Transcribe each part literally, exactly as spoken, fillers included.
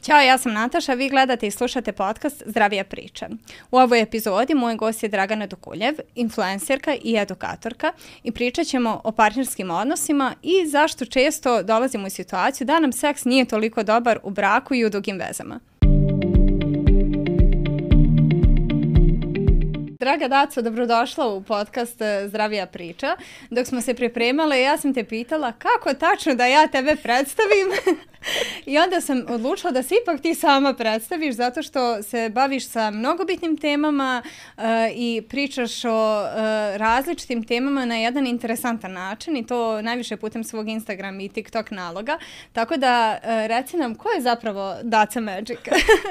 Ćao, ja sam Nataša, vi gledate i slušate podcast Zdravija priča. U ovoj epizodi moj gost je Dragana Dukuljev, influencerka i edukatorka i pričat ćemo o partnerskim odnosima i zašto često dolazimo u situaciju da nam seks nije toliko dobar u braku i u dugim vezama. Draga Daco, dobrodošla u podcast Zdravija priča. Dok smo se pripremale, ja sam te pitala kako tačno da ja tebe predstavim. I onda sam odlučila da se ipak ti sama predstaviš zato što se baviš sa mnogo bitnim temama uh, i pričaš o uh, različitim temama na jedan interesantan način i to najviše putem svog Instagram i TikTok naloga. Tako da uh, reci nam ko je zapravo Daca Magic?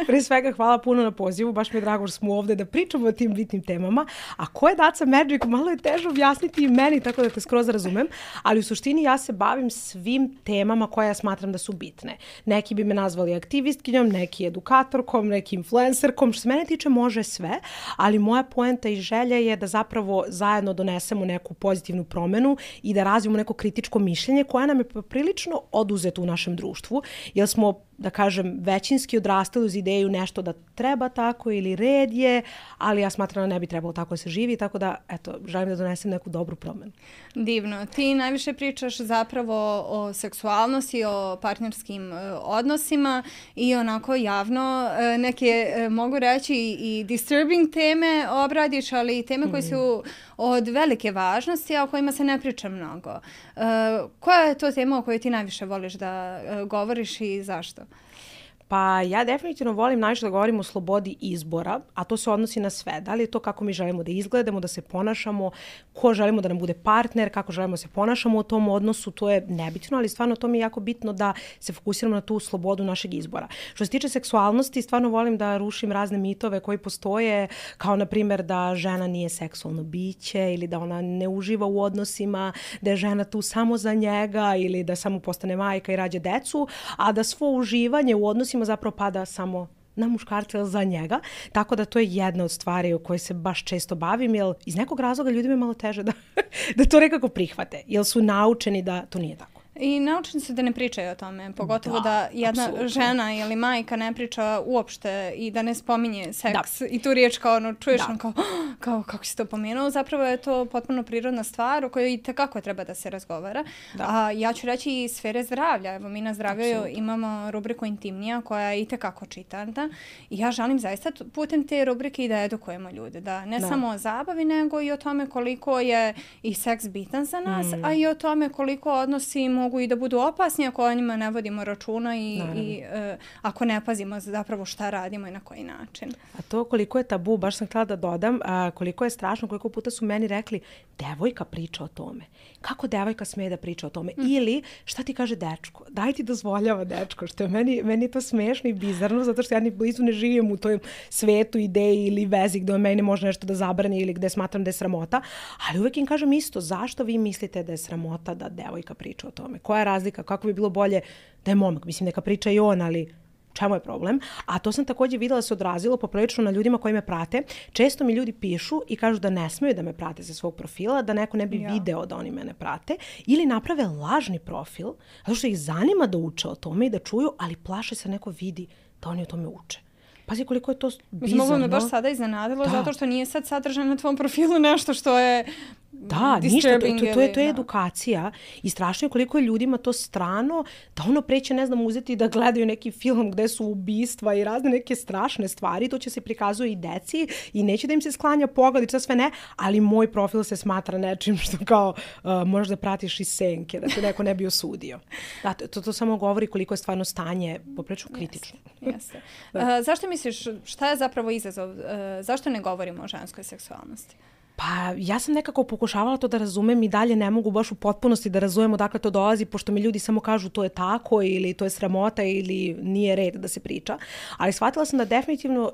Pre svega hvala puno na pozivu, baš mi je drago što smo ovde da pričamo o tim bitnim temama. A ko je Daca Magic? Malo je teže objasniti i meni, tako da te skroz razumem. Ali u suštini ja se bavim svim temama koje ja smatram da su bitne. Neki bi me nazvali aktivistkinjom, neki edukatorkom, neki influencerkom. Što se mene tiče može sve, ali moja poenta i želja je da zapravo zajedno donesemo neku pozitivnu promenu i da razvijemo neko kritičko mišljenje koje nam je prilično oduzeto u našem društvu, jer smo, da kažem, većinski odrastali uz ideju nešto da treba tako ili red je, ali ja smatram da ne bi trebalo tako da se živi, tako da, eto, želim da donesem neku dobru promenu. Divno. Ti najviše pričaš zapravo o seksualnosti, o partnerskim uh, odnosima i onako javno uh, neke, uh, mogu reći, i disturbing teme obradiš, ali i teme mm. koje su od velike važnosti, a o kojima se ne priča mnogo. Uh, koja je to tema o kojoj ti najviše voliš da uh, govoriš i zašto? Pa ja definitivno volim najviše da govorim o slobodi izbora, a to se odnosi na sve. Da li je to kako mi želimo da izgledamo, da se ponašamo, ko želimo da nam bude partner, kako želimo da se ponašamo u tom odnosu, to je nebitno, ali stvarno to mi je jako bitno da se fokusiramo na tu slobodu našeg izbora. Što se tiče seksualnosti, stvarno volim da rušim razne mitove koji postoje, kao na primjer da žena nije seksualno biće ili da ona ne uživa u odnosima, da je žena tu samo za njega ili da samo postane majka i rađa decu, a da svo uživanje u odnosima zapravo pada samo na muškarca ili za njega. Tako da to je jedna od stvari o kojoj se baš često bavim, jer iz nekog razloga ljudima je malo teže da, da to nekako prihvate, jer su naučeni da to nije tako. I naučeni su da ne pričaju o tome, pogotovo da, da jedna absolutno. Žena ili majka ne priča uopšte i da ne spominje seks da. I tu riječ kao ono, čuješ ono kao, kao kako si to pomenuo, zapravo je to potpuno prirodna stvar o kojoj i tekako treba da se razgovara. Da. A ja ću reći i sfere zdravlja, evo mi na Zdravlju imamo rubriku Intimnija koja je i tekako čitana i ja želim zaista putem te rubrike i da edukujemo ljude, da ne da. Samo o zabavi nego i o tome koliko je i seks bitan za nas, mm. a i o tome koliko odnosi mogu i da budu opasni ako o njima ne vodimo računa i, i uh, ako ne pazimo zapravo šta radimo i na koji način. A to koliko je tabu, baš sam htjela da dodam, a, koliko je strašno, koliko puta su meni rekli devojka priča o tome. Kako devojka smije da priča o tome? Mm. Ili šta ti kaže dečko? Daj ti dozvoljava dečko, što je meni, meni je to smiješno i bizarno, zato što ja ni blizu ne živim u tom svetu, ideji ili vezi gdje meni može nešto da zabrani ili gdje smatram da je sramota, ali uvijek im kažem isto, zašto vi mislite da je sramota da devojka priča o tome? Koja je razlika? Kako bi bilo bolje da je momak? Mislim, neka priča i on, ali čemu je problem? A to sam također vidjela se odrazilo poprilično na ljudima koji me prate. Često mi ljudi pišu i kažu da ne smiju da me prate sa svog profila, da neko ne bi ja. video da oni mene prate, ili naprave lažni profil, zato što ih zanima da uče o tome i da čuju, ali plaše se neko vidi da oni o tome uče. Pazi koliko je to bizarno. Ovo me baš sada iznenadilo, da. Zato što nije sad sadržano na tvom profilu nešto što je da, ništa, to, to, to, je, to je edukacija i strašno je koliko je ljudima to strano da ono preće, ne znam, uzeti da gledaju neki film gde su ubistva i razne neke strašne stvari, to će se prikazuje i deci i neće da im se sklanja pogled i to sve ne, ali moj profil se smatra nečim što kao uh, možeš da pratiš iz senke, da te neko ne bi osudio. Da, to, to samo govori koliko je stvarno stanje poprilično kritično. Jeste. Uh, zašto misliš, šta je zapravo izazov? Uh, zašto ne govorimo o ženskoj seksualnosti? Pa ja sam nekako pokušavala to da razumem i dalje ne mogu baš u potpunosti da razumem odakle to dolazi, pošto mi ljudi samo kažu to je tako ili to je sramota ili nije red da se priča. Ali shvatila sam da definitivno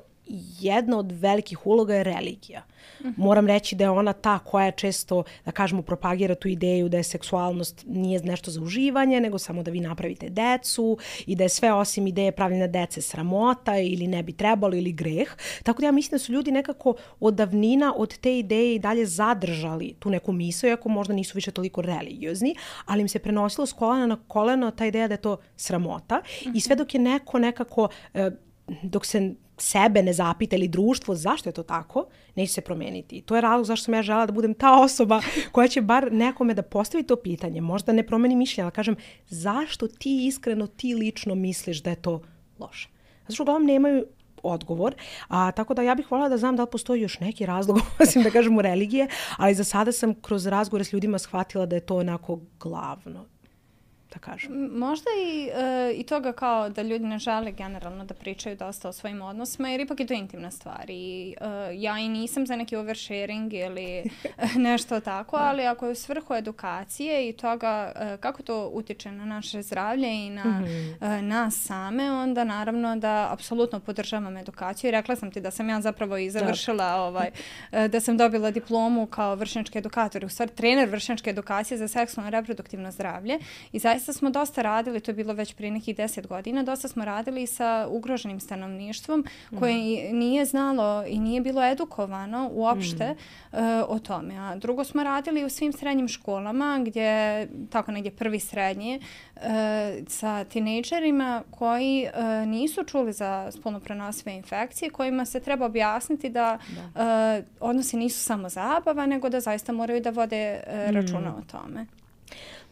jedna od velikih uloga je religija. Mm-hmm. Moram reći da je ona ta koja često, da kažemo, propagira tu ideju da je seksualnost nije nešto za uživanje, nego samo da vi napravite decu i da je sve osim ideje pravljenja dece sramota ili ne bi trebalo ili greh. Tako da ja mislim da su ljudi nekako od davnina od te ideje i dalje zadržali tu neku misao, iako možda nisu više toliko religiozni, ali im se prenosilo s kolena na koleno ta ideja da je to sramota. Mm-hmm. I sve dok je neko nekako, dok se sebe ne zapita ili društvo zašto je to tako, neće se promeniti. I to je razlog zašto sam ja želela da budem ta osoba koja će bar nekome da postavi to pitanje. Možda ne promeni mišljenje, ali kažem zašto ti iskreno, ti lično misliš da je to loše. Zato što uglavnom nemaju odgovor. A, tako da ja bih voljela da znam da li postoji još neki razlog, osim da kažemo religije, ali za sada sam kroz razgovore s ljudima shvatila da je to onako glavno. Da kažem. Možda i, e, i toga kao da ljudi ne žele generalno da pričaju dosta o svojim odnosima, jer ipak je to intimna stvar. I, e, ja i nisam za neki oversharing ili nešto tako, ali ako je u svrhu edukacije i toga e, kako to utiče na naše zdravlje i na mm-hmm. e, nas same, onda naravno da apsolutno podržavam edukaciju. I rekla sam ti da sam ja zapravo i završila, ovaj, e, da sam dobila diplomu kao vršnjački edukator, u stvari trener vršnjačke edukacije za seksualno i reproduktivno zdravlje. I zaista smo dosta radili, to je bilo već prije nekih deset godina, dosta smo radili sa ugroženim stanovništvom koje mm. nije znalo i nije bilo edukovano uopšte mm. uh, o tome. A drugo smo radili u svim srednjim školama gdje, tako negdje prvi srednje, uh, sa tinejdžerima koji uh, nisu čuli za spolno prenosive infekcije, kojima se treba objasniti da, da. Uh, odnosi nisu samo zabava, nego da zaista moraju da vode uh, računa mm. o tome.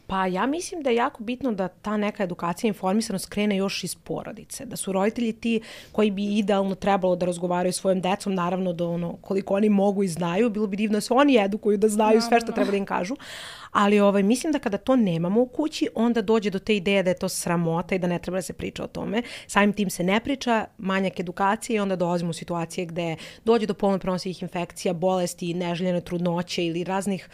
Pa ja mislim da je jako bitno da ta neka edukacija i informisanost krene još iz porodice. Da su roditelji ti koji bi idealno trebalo da razgovaraju s svojim decom, naravno da ono, koliko oni mogu i znaju, bilo bi divno da se oni edukuju, da znaju sve što treba da im kažu. Ali ovaj, mislim da kada to nemamo u kući, onda dođe do te ideje da je to sramota i da ne treba da se priča o tome. Samim tim se ne priča, manjak edukacije i onda dolazimo u situacije gde dođe do polno prenosivih infekcija, bolesti, neželjene trudnoće ili raznih,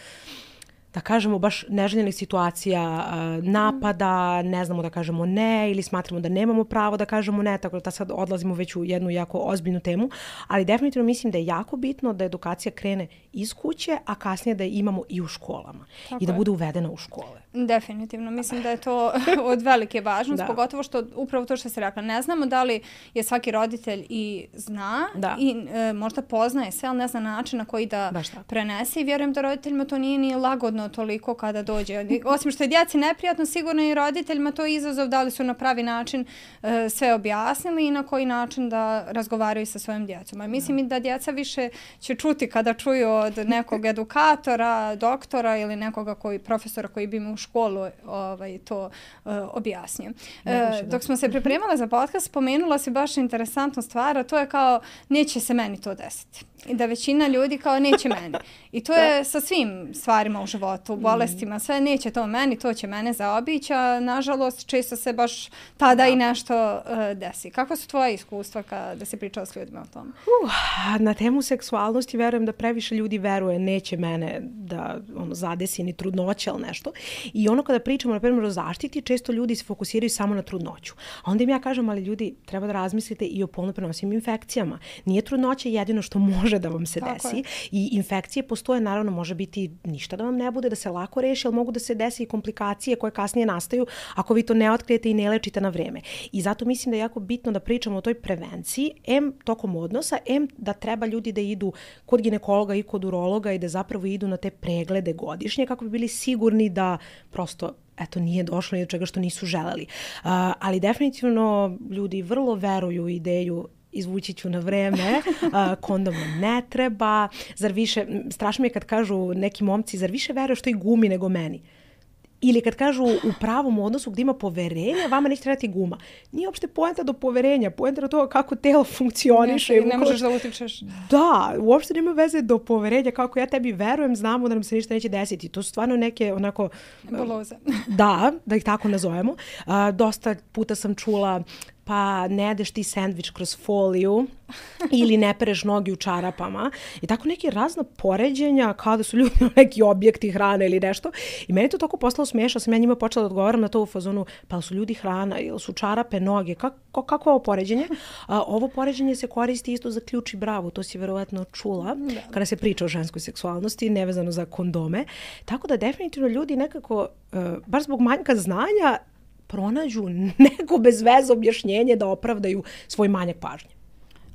da kažemo, baš neželjenih situacija, napada, ne znamo da kažemo ne ili smatramo da nemamo pravo da kažemo ne, tako da sad odlazimo već u jednu jako ozbiljnu temu, ali definitivno mislim da je jako bitno da edukacija krene iz kuće, a kasnije da je imamo i u školama tako i da je. Bude uvedena u škole. Definitivno, mislim da je to od velike važnosti, pogotovo što upravo to što se rekla, ne znamo da li je svaki roditelj i zna da. i e, možda poznaje sve, ali ne zna način na koji da prenese i vjerujem da roditeljima to nije ni lagodno toliko kada dođe. Osim što je djeci neprijatno, sigurno i roditeljima to je izazov da li su na pravi način e, sve objasnili i na koji način da razgovaraju sa svojim djecom. A mislim i da djeca više će čuti kada čuju od nekog edukatora, doktora ili nekoga koji, profesora koji bi mu u školu ovaj, to uh, objasnio. E, dok smo se pripremale za podcast, spomenula si baš interesantnu stvar, a to je kao neće se meni to desiti. I da većina ljudi kao neće meni. I to je sa svim stvarima u životu, u bolestima, sve neće to meni, to će mene zaobići, a nažalost često se baš tada da. i nešto uh, desi. Kako su tvoje iskustva kada si pričala s ljudima o tome? Uh, na temu seksualnosti verujem da previše ljudi veruje neće mene da ono, zadesi ni trudnoća ili nešto. I ono kada pričamo na primjer o zaštiti, često ljudi se fokusiraju samo na trudnoću. A onda im ja kažem, ali ljudi, treba da razmislite i o polno prenosivim infekcijama. Nije trudnoća jedino što može da vam se Tako desi. Je. I infekcije postoje, naravno, može biti ništa da vam ne bude, da se lako reši, ali mogu da se desi i komplikacije koje kasnije nastaju ako vi to ne otkrijete i ne lečite na vreme. I zato mislim da je jako bitno da pričamo o toj prevenciji, em tokom odnosa, em da treba ljudi da idu kod ginekologa i kod urologa i da zapravo idu na te preglede godišnje kako bi bili sigurni da prosto eto, nije došlo do čega što nisu želeli. Uh, ali definitivno ljudi vrlo veruju u ideju izvući ću na vreme, uh, kondom ne treba, zar više, strašno mi je kad kažu neki momci, zar više veruješ toj gumi nego meni? Ili kad kažu u pravom odnosu gdje ima poverenja, vama neće trebati guma. Nije uopšte poenta do poverenja, poenta do toga kako telo funkcioniše. Ne, ne možeš da utičeš. Da, uopšte nema veze do poverenja, kako ja tebi verujem, znamo da nam se ništa neće desiti. To su stvarno neke onako... Nebuloze. Da, da ih tako nazovemo. Uh, dosta puta sam čula pa ne jedeš ti sendvič kroz foliju ili ne pereš nogi u čarapama i tako neke razna poređenja kao da su ljudi neki objekti hrane ili nešto. I meni to tako postalo smiješno, sam ja njima počela da odgovaram na to u fazonu, pa su ljudi hrana ili su čarape, noge, kako, kako je ovo poređenje? A, ovo poređenje se koristi isto za ključ i bravu, to si verovatno čula da. Kada se priča o ženskoj seksualnosti, nevezano za kondome. Tako da definitivno ljudi nekako, uh, baš zbog manjka znanja, pronađu neko bez veze objašnjenje da opravdaju svoj manjak pažnje.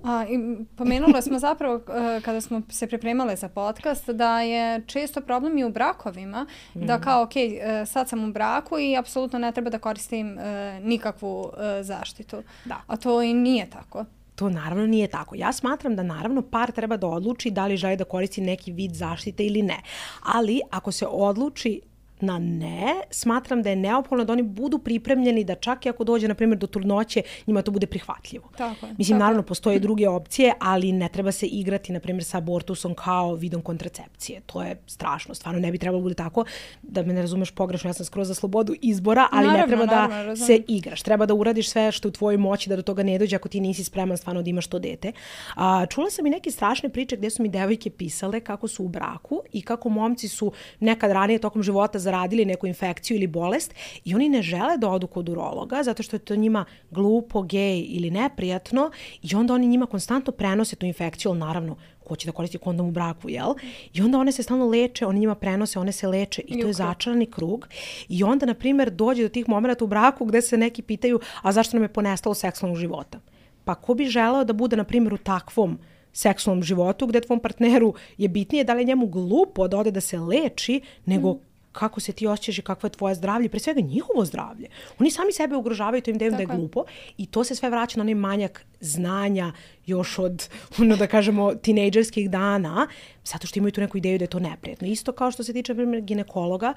A, i pomenula smo zapravo uh, kada smo se pripremale za podcast da je često problem i u brakovima, mm. da kao ok, uh, sad sam u braku i apsolutno ne treba da koristim uh, nikakvu uh, zaštitu. Da. A to i nije tako. To naravno nije tako. Ja smatram da naravno par treba da odluči da li želi da koristi neki vid zaštite ili ne. Ali ako se odluči na ne, smatram da je neophodno da oni budu pripremljeni da čak i ako dođe, na primjer, do trudnoće, njima to bude prihvatljivo. Tako je. Mislim, tako naravno, postoje druge opcije, ali ne treba se igrati, na primjer, sa abortusom kao vidom kontracepcije. To je strašno. Stvarno ne bi trebalo bude tako, da me ne razumeš pogrešno, ja sam skroz za slobodu izbora, ali naravno, ne treba naravno, da razumem. se igraš. Treba da uradiš sve što u tvojoj moći da do toga ne dođe ako ti nisi spreman stvarno da imaš to dete. A, čula sam i neke strašne priče gdje su mi devojke pisale kako su u braku i kako momci su nekad ranije tokom života zaradili neku infekciju ili bolest i oni ne žele da odu kod urologa zato što je to njima glupo, gej ili neprijatno i onda oni njima konstantno prenose tu infekciju, ali naravno ko će da koristi kondom u braku, jel? I onda one se stalno leče, oni njima prenose, one se leče i to je začarani krug. I onda, na primjer, dođe do tih momenta u braku gde se neki pitaju, a zašto nam je ponestalo seksualnog života? Pa ko bi želeo da bude, na primjer, u takvom seksualnom životu gde tvom partneru je bitnije da li je njemu glupo da ode da se leči, nego mm. kako se ti osjećaš i kakvo je tvoje zdravlje, pre svega njihovo zdravlje. Oni sami sebe ugrožavaju, to im daju da je glupo i to se sve vraća na onaj manjak znanja još od, ono da kažemo, tinejdžerskih dana, zato što imaju tu neku ideju da je to neprijetno. Isto kao što se tiče, na primjer, ginekologa,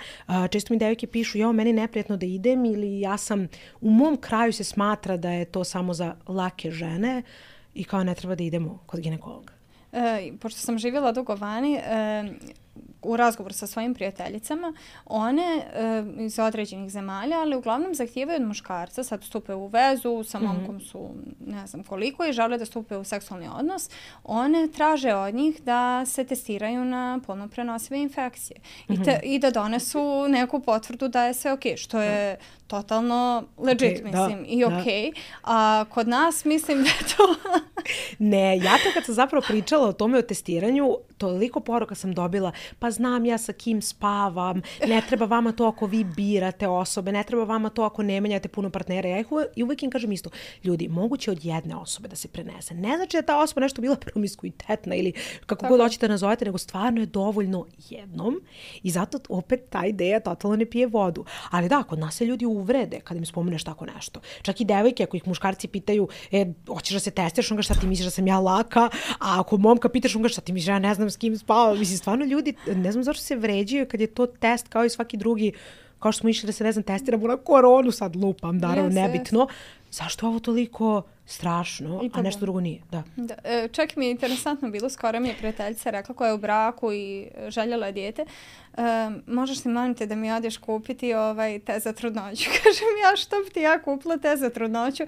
često mi devojke pišu, ja, meni je neprijetno da idem ili ja sam, u mom kraju se smatra da je to samo za lake žene i kao ne treba da idemo kod ginekologa. E, pošto sam živjela dugo vani, e, u razgovoru sa svojim prijateljicama, one e, iz određenih zemalja, ali uglavnom zahtijevaju od muškarca, sad stupe u vezu, sa momkom su ne znam koliko i žele da stupe u seksualni odnos, one traže od njih da se testiraju na polno prenosive infekcije mm-hmm. I, te, i da donesu neku potvrdu da je sve ok, što je totalno legit, okay, mislim, da, i ok. Da. A kod nas mislim da je to... Ne, ja to kad sam zapravo pričala o tome o testiranju, toliko poruka sam dobila, pa znam ja sa kim spavam, ne treba vama to ako vi birate osobe, ne treba vama to ako ne menjate puno partnera. Ja ih uvijek, uvijek im kažem isto, ljudi, moguće od jedne osobe da se prenese. Ne znači da ta osoba nešto bila promiskuitetna ili kako Tako. god hoćete nazovete, nego stvarno je dovoljno jednom i zato opet ta ideja totalno ne pije vodu. Ali da, kod nas se ljudi uvrede kad im spomeneš tako nešto. Čak i devojke, ako ih muškarci pitaju, e, hoćeš da se testiraš, on ga šta ti misliš da sam ja laka, a ako momka pitaš, on ga šta ti misliš, ja ne znam s kim spavam. Mislim, stvarno ljudi, ne znam zašto se vređaju kad je to test kao i svaki drugi, kao što smo išli da se, ne znam, testiramo na koronu, sad lupam, naravno, yes, nebitno. Yes. Zašto je ovo toliko strašno, a nešto drugo nije? Da. Da. E, čak mi je interesantno bilo, skoro mi je prijateljica rekla koja je u braku i željela je dijete, e, možeš li molim te da mi odeš kupiti ovaj te za trudnoću? Kažem ja, što bi ti ja kupila te za trudnoću?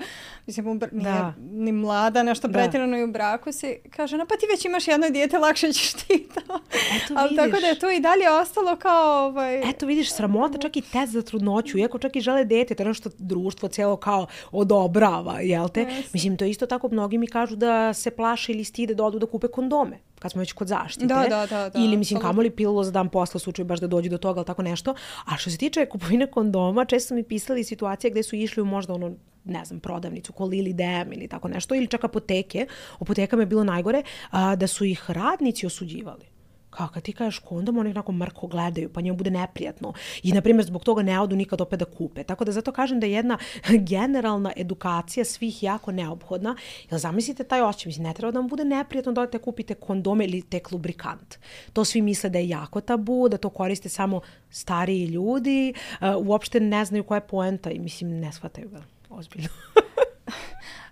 Mislim, br- nije ni mlada, nešto pretjerano i u braku si. Kaže, no pa ti već imaš jedno dijete, lakše ćeš ti to. Eto ali vidiš. Tako da je to i dalje ostalo kao... Ovaj... Eto vidiš, sramota čak i test za trudnoću, iako čak i žele dijete, to je nešto društvo cijelo kao odobrava, jel te? Yes. Mislim, to isto tako mnogi mi kažu da se plaše ili stide da odu da kupe kondome, kad smo već kod zaštite. Da, da, da, da. Ili, mislim, kamoli pilulo za dan posla, u slučaju baš da dođe do toga, ali tako nešto. A što se tiče kupovine kondoma, često su mi pisali situacije gdje su išli u možda ono, ne znam, prodavnicu, ko Lili Dem ili tako nešto, ili čak apoteke. U apotekama je bilo najgore, a, da su ih radnici osuđivali. Kao kad ti kažeš kondom, oni onako mrko gledaju, pa njemu bude neprijatno. I, na primjer, zbog toga ne odu nikad opet da kupe. Tako da zato kažem da je jedna generalna edukacija svih jako neophodna. Jer zamislite taj osjećaj, mislim, ne treba da vam bude neprijatno da odete kupite kondome ili tek lubrikant. To svi misle da je jako tabu, da to koriste samo stariji ljudi, uh, uopšte ne znaju koja je poenta i, mislim, ne shvataju ga ozbiljno.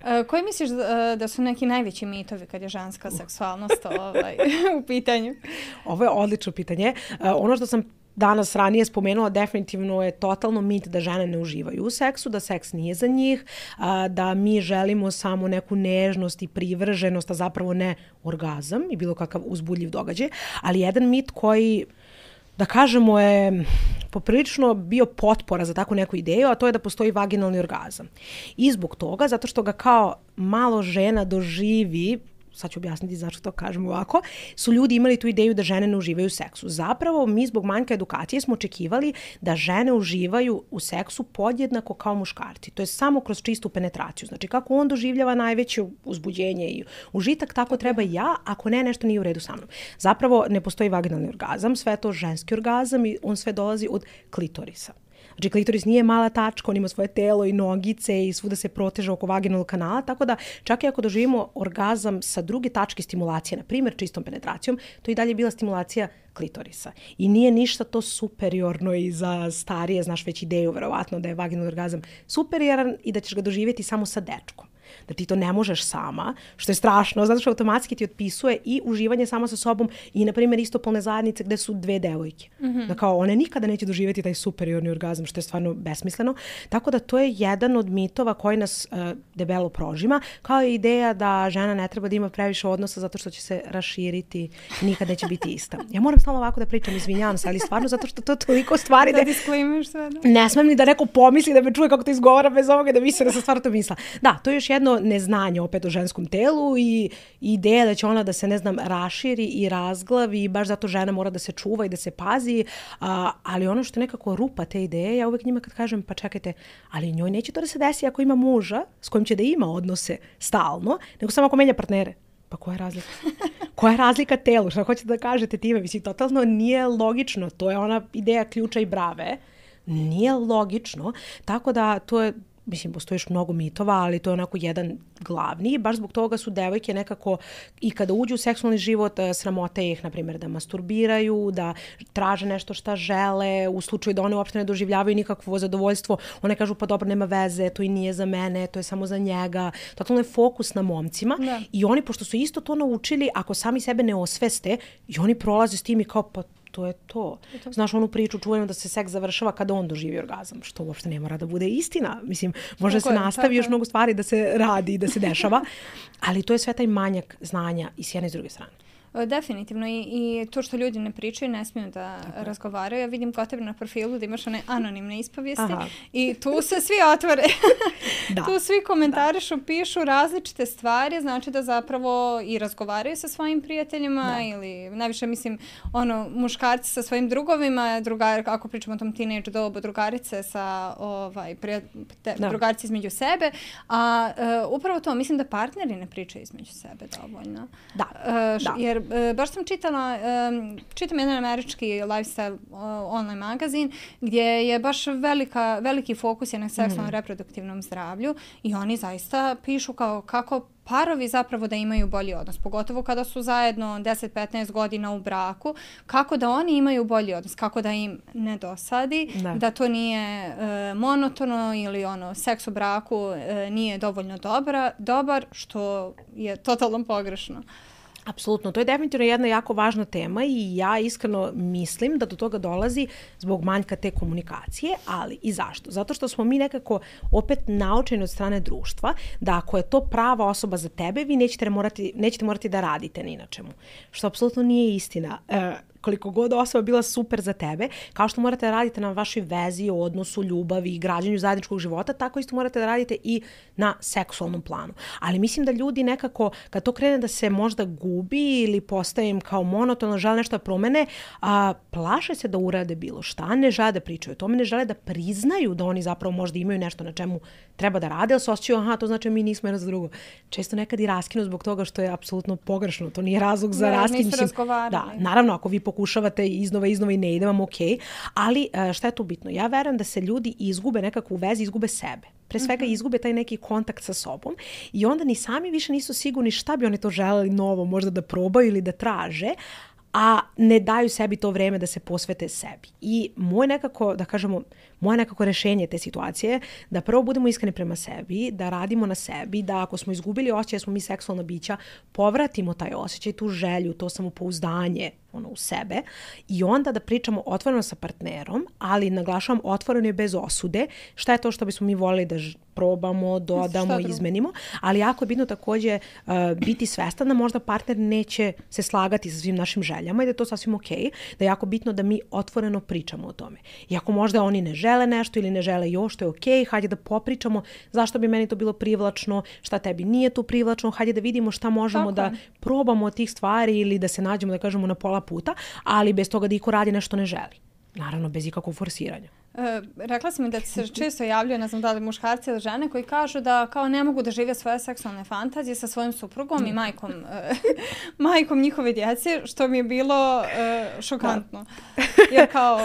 Uh, koji misliš da, da su neki najveći mitovi kad je ženska seksualnost ovaj, u pitanju? Ovo je odlično pitanje. Uh, ono što sam danas ranije spomenula, definitivno je totalno mit da žene ne uživaju u seksu, da seks nije za njih, da mi želimo samo neku nežnost i privrženost, a zapravo ne orgazam i bilo kakav uzbudljiv događaj. Ali jedan mit koji, da kažemo, je poprilično bio potpora za takvu neku ideju, a to je da postoji vaginalni orgazam. I zbog toga, zato što ga kao malo žena doživi, sad ću objasniti zašto to kažem ovako, su ljudi imali tu ideju da žene ne uživaju u seksu. Zapravo, mi zbog manjka edukacije smo očekivali da žene uživaju u seksu podjednako kao muškarci. To je samo kroz čistu penetraciju. Znači, kako on doživljava najveće uzbuđenje i užitak, tako treba i ja, ako ne, nešto nije u redu sa mnom. Zapravo, ne postoji vaginalni orgazam, sve je to ženski orgazam i on sve dolazi od klitorisa. Znači, klitoris nije mala tačka, on ima svoje telo i nogice i svuda se proteže oko vaginalnog kanala, tako da čak i ako doživimo orgazam sa druge tačke stimulacije, na primjer čistom penetracijom, to i dalje bila stimulacija klitorisa. I nije ništa to superiorno i za starije, znaš već ideju, verovatno, da je vaginalni orgazam superioran i da ćeš ga doživjeti samo sa dečkom. Da ti to ne možeš sama, što je strašno, zato što automatski ti otpisuje i uživanje samo sa sobom i, na primjer, istopolne zajednice gde su dve devojke. Mm-hmm. Da kao one nikada neće doživjeti taj superiorni orgazam, što je stvarno besmisleno. Tako da to je jedan od mitova koji nas uh, debelo prožima, kao i ideja da žena ne treba da ima previše odnosa zato što će se raširiti i nikad neće biti ista. Ja moram stalno ovako da pričam, izvinjavam se, ali stvarno zato što to toliko stvari da... Da disklimiš sve, da. Ne smem ni da neko pomisli da me čuje kako to izgovara bez ovoga da misle da sam stvarno to misla. Da, to je još jedno neznanje opet o ženskom telu i ideja da će ona da se, ne znam, raširi i razglavi i baš zato žena mora da se čuva i da se pazi, a, ali ono što je nekako rupa te ideje, ja uvek njima kad kažem, pa čekajte, ali njoj neće to da se desi ako ima muža s kojim će da ima odnose stalno, nego samo ako menja partnere. Pa koja je razlika? Koja je razlika telu? Šta hoćete da kažete time? Mislim, totalno nije logično. To je ona ideja ključa i brave. Nije logično. Tako da to je, mislim, postoji još mnogo mitova, ali to je onako jedan glavni. Baš zbog toga su devojke nekako i kada uđu u seksualni život, sramote ih, na primjer, da masturbiraju, da traže nešto šta žele, u slučaju da one uopšte ne doživljavaju nikakvo zadovoljstvo. One kažu, pa dobro, nema veze, to i nije za mene, to je samo za njega. Totalno je fokus na momcima. Da. I oni, pošto su isto to naučili, ako sami sebe ne osveste, i oni prolaze s tim i kao, pa to je to. to. Znaš onu priču čuvenu da se seks završava kada on doživi orgazam, što uopšte ne mora da bude istina. Mislim, može tako se je, nastavi još mnogo stvari da se radi i da se dešava, ali to je sve taj manjak znanja i s jedne i s druge strane. Definitivno. I, i to što ljudi ne pričaju, ne smiju da tako razgovaraju. Ja vidim kod tebe na profilu da imaš one anonimne ispovijesti. Aha. I tu se svi otvore. Da. Tu svi komentarišu, pišu različite stvari, znači da zapravo i razgovaraju sa svojim prijateljima da. Ili najviše, mislim, ono, muškarci sa svojim drugovima, drugari, ako pričamo o tom teenage dobu, drugarice sa ovaj, prijatelj, drugarice između sebe. A uh, upravo to, mislim da partneri ne pričaju između sebe dovoljno. Da. Uh, da. Jer uh, baš sam čitala, um, čitam jedan američki lifestyle uh, online magazin gdje je baš velika, veliki fokus je na seksualnom mm. reproduktivnom zdravlju i oni zaista pišu kao kako parovi zapravo da imaju bolji odnos, pogotovo kada su zajedno deset do petnaest godina u braku, kako da oni imaju bolji odnos, kako da im ne dosadi, ne. Da to nije uh, monotono ili ono, seks u braku uh, nije dovoljno dobra, dobar, što je totalno pogrešno. Apsolutno, to je definitivno jedna jako važna tema i ja iskreno mislim da do toga dolazi zbog manjka te komunikacije, ali i zašto? Zato što smo mi nekako opet naučeni od strane društva da ako je to prava osoba za tebe, vi nećete morati, nećete morati da radite ni na čemu, što apsolutno nije istina. E, koliko god osoba bila super za tebe, kao što morate da radite na vašoj vezi, odnosu, ljubavi i građanju zajedničkog života, tako isto morate da radite i na seksualnom planu. Ali mislim da ljudi nekako, kad to krene da se možda gubi ili postaje im kao monotono, žele nešto da promene, a, plaše se da urade bilo šta, ne žele da pričaju o tome, ne žele da priznaju da oni zapravo možda imaju nešto na čemu treba da rade, ali se osjećaju, aha, to znači mi nismo jedno za drugo. Često nekad i raskinu zbog toga što je apsolutno pogrešno. To nije razlog za raskinu. Da, naravno, ako vi pokušavate iznova, iznova i ne ide vam ok, ali šta je tu bitno? Ja verujem da se ljudi izgube nekako u vezi, izgube sebe. Pre svega izgube taj neki kontakt sa sobom i onda ni sami više nisu sigurni šta bi oni to želeli novo možda da probaju ili da traže, a ne daju sebi to vreme da se posvete sebi. I moj nekako, da kažemo, moje nekako rešenje te situacije da prvo budemo iskreni prema sebi, da radimo na sebi, da ako smo izgubili osjećaj, smo mi seksualna bića, povratimo taj osjećaj, tu želju, to samopouzdanje ono, u sebe i onda da pričamo otvoreno sa partnerom, ali naglašavam otvoreno i bez osude, šta je to što bismo mi volili da ž- probamo, dodamo, izmenimo, ali jako je bitno takođe uh, biti svestan da možda partner neće se slagati sa svim našim željama i da je to sasvim okej, da je jako bitno da mi otvoreno pričamo o tome. I ako možda oni ne žele nešto ili ne žele još, to je okej, hajde da popričamo zašto bi meni to bilo privlačno, šta tebi nije tu privlačno, hajde da vidimo šta možemo Tako. da probamo od tih stvari ili da se nađemo, da kažemo, na pola puta, ali bez toga da iko radi nešto ne želi. Naravno, bez ikakvog forsiranja. E, rekla sam mi da se često javljaju, ne znam da li muškarci ili žene, koji kažu da kao ne mogu da žive svoje seksualne fantazije sa svojim suprugom mm. i majkom, e, majkom njihove djece, što mi je bilo e, šokantno. Jer kao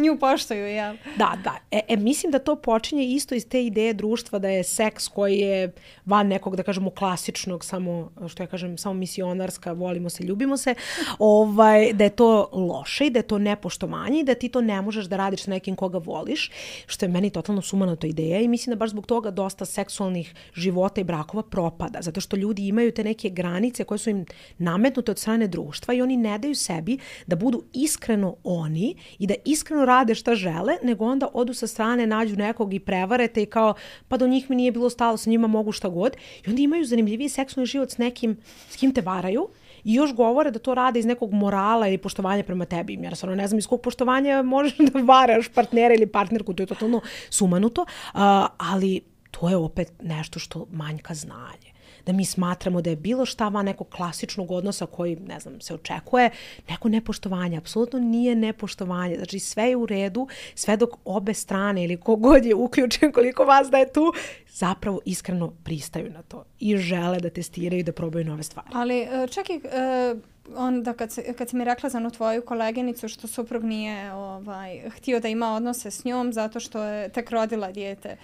nju poštuju, ja. Da, da. E, e, mislim da to počinje isto iz te ideje društva da je seks koji je van nekog, da kažemo, klasičnog, samo, što ja kažem, samo misionarska, volimo se, ljubimo se, ovaj, da je to loše i da je to nepoštovanje i da ti to ne možeš da radiš sa nekim koga voliš, što je meni totalno sumanuta ideja i mislim da baš zbog toga dosta seksualnih života i brakova propada, zato što ljudi imaju te neke granice koje su im nametnute od strane društva i oni ne daju sebi da budu iskreno oni i da iskreno rade šta žele, nego onda odu sa strane, nađu nekog i prevarete i kao, pa do njih mi nije bilo stalo, sa njima mogu šta god i onda imaju zanimljiviji seksualni život s nekim s kim te varaju i još govore da to rade iz nekog morala ili poštovanja prema tebi. Jer stvarno ne znam iz kog poštovanja možeš da varaš partnera ili partnerku, to je totalno sumanuto, uh, ali to je opet nešto što manjka znanje. Da mi smatramo da je bilo šta van nekog klasičnog odnosa koji, ne znam, se očekuje, neko nepoštovanje. Apsolutno nije nepoštovanje. Znači sve je u redu, sve dok obe strane ili kogod je uključen, koliko vas da je tu, zapravo iskreno pristaju na to i žele da testiraju i da probaju nove stvari. Ali čak i uh, onda kad, se, kad si mi rekla za onu tvoju koleginicu što suprug nije ovaj, htio da ima odnose s njom zato što je tek rodila dijete,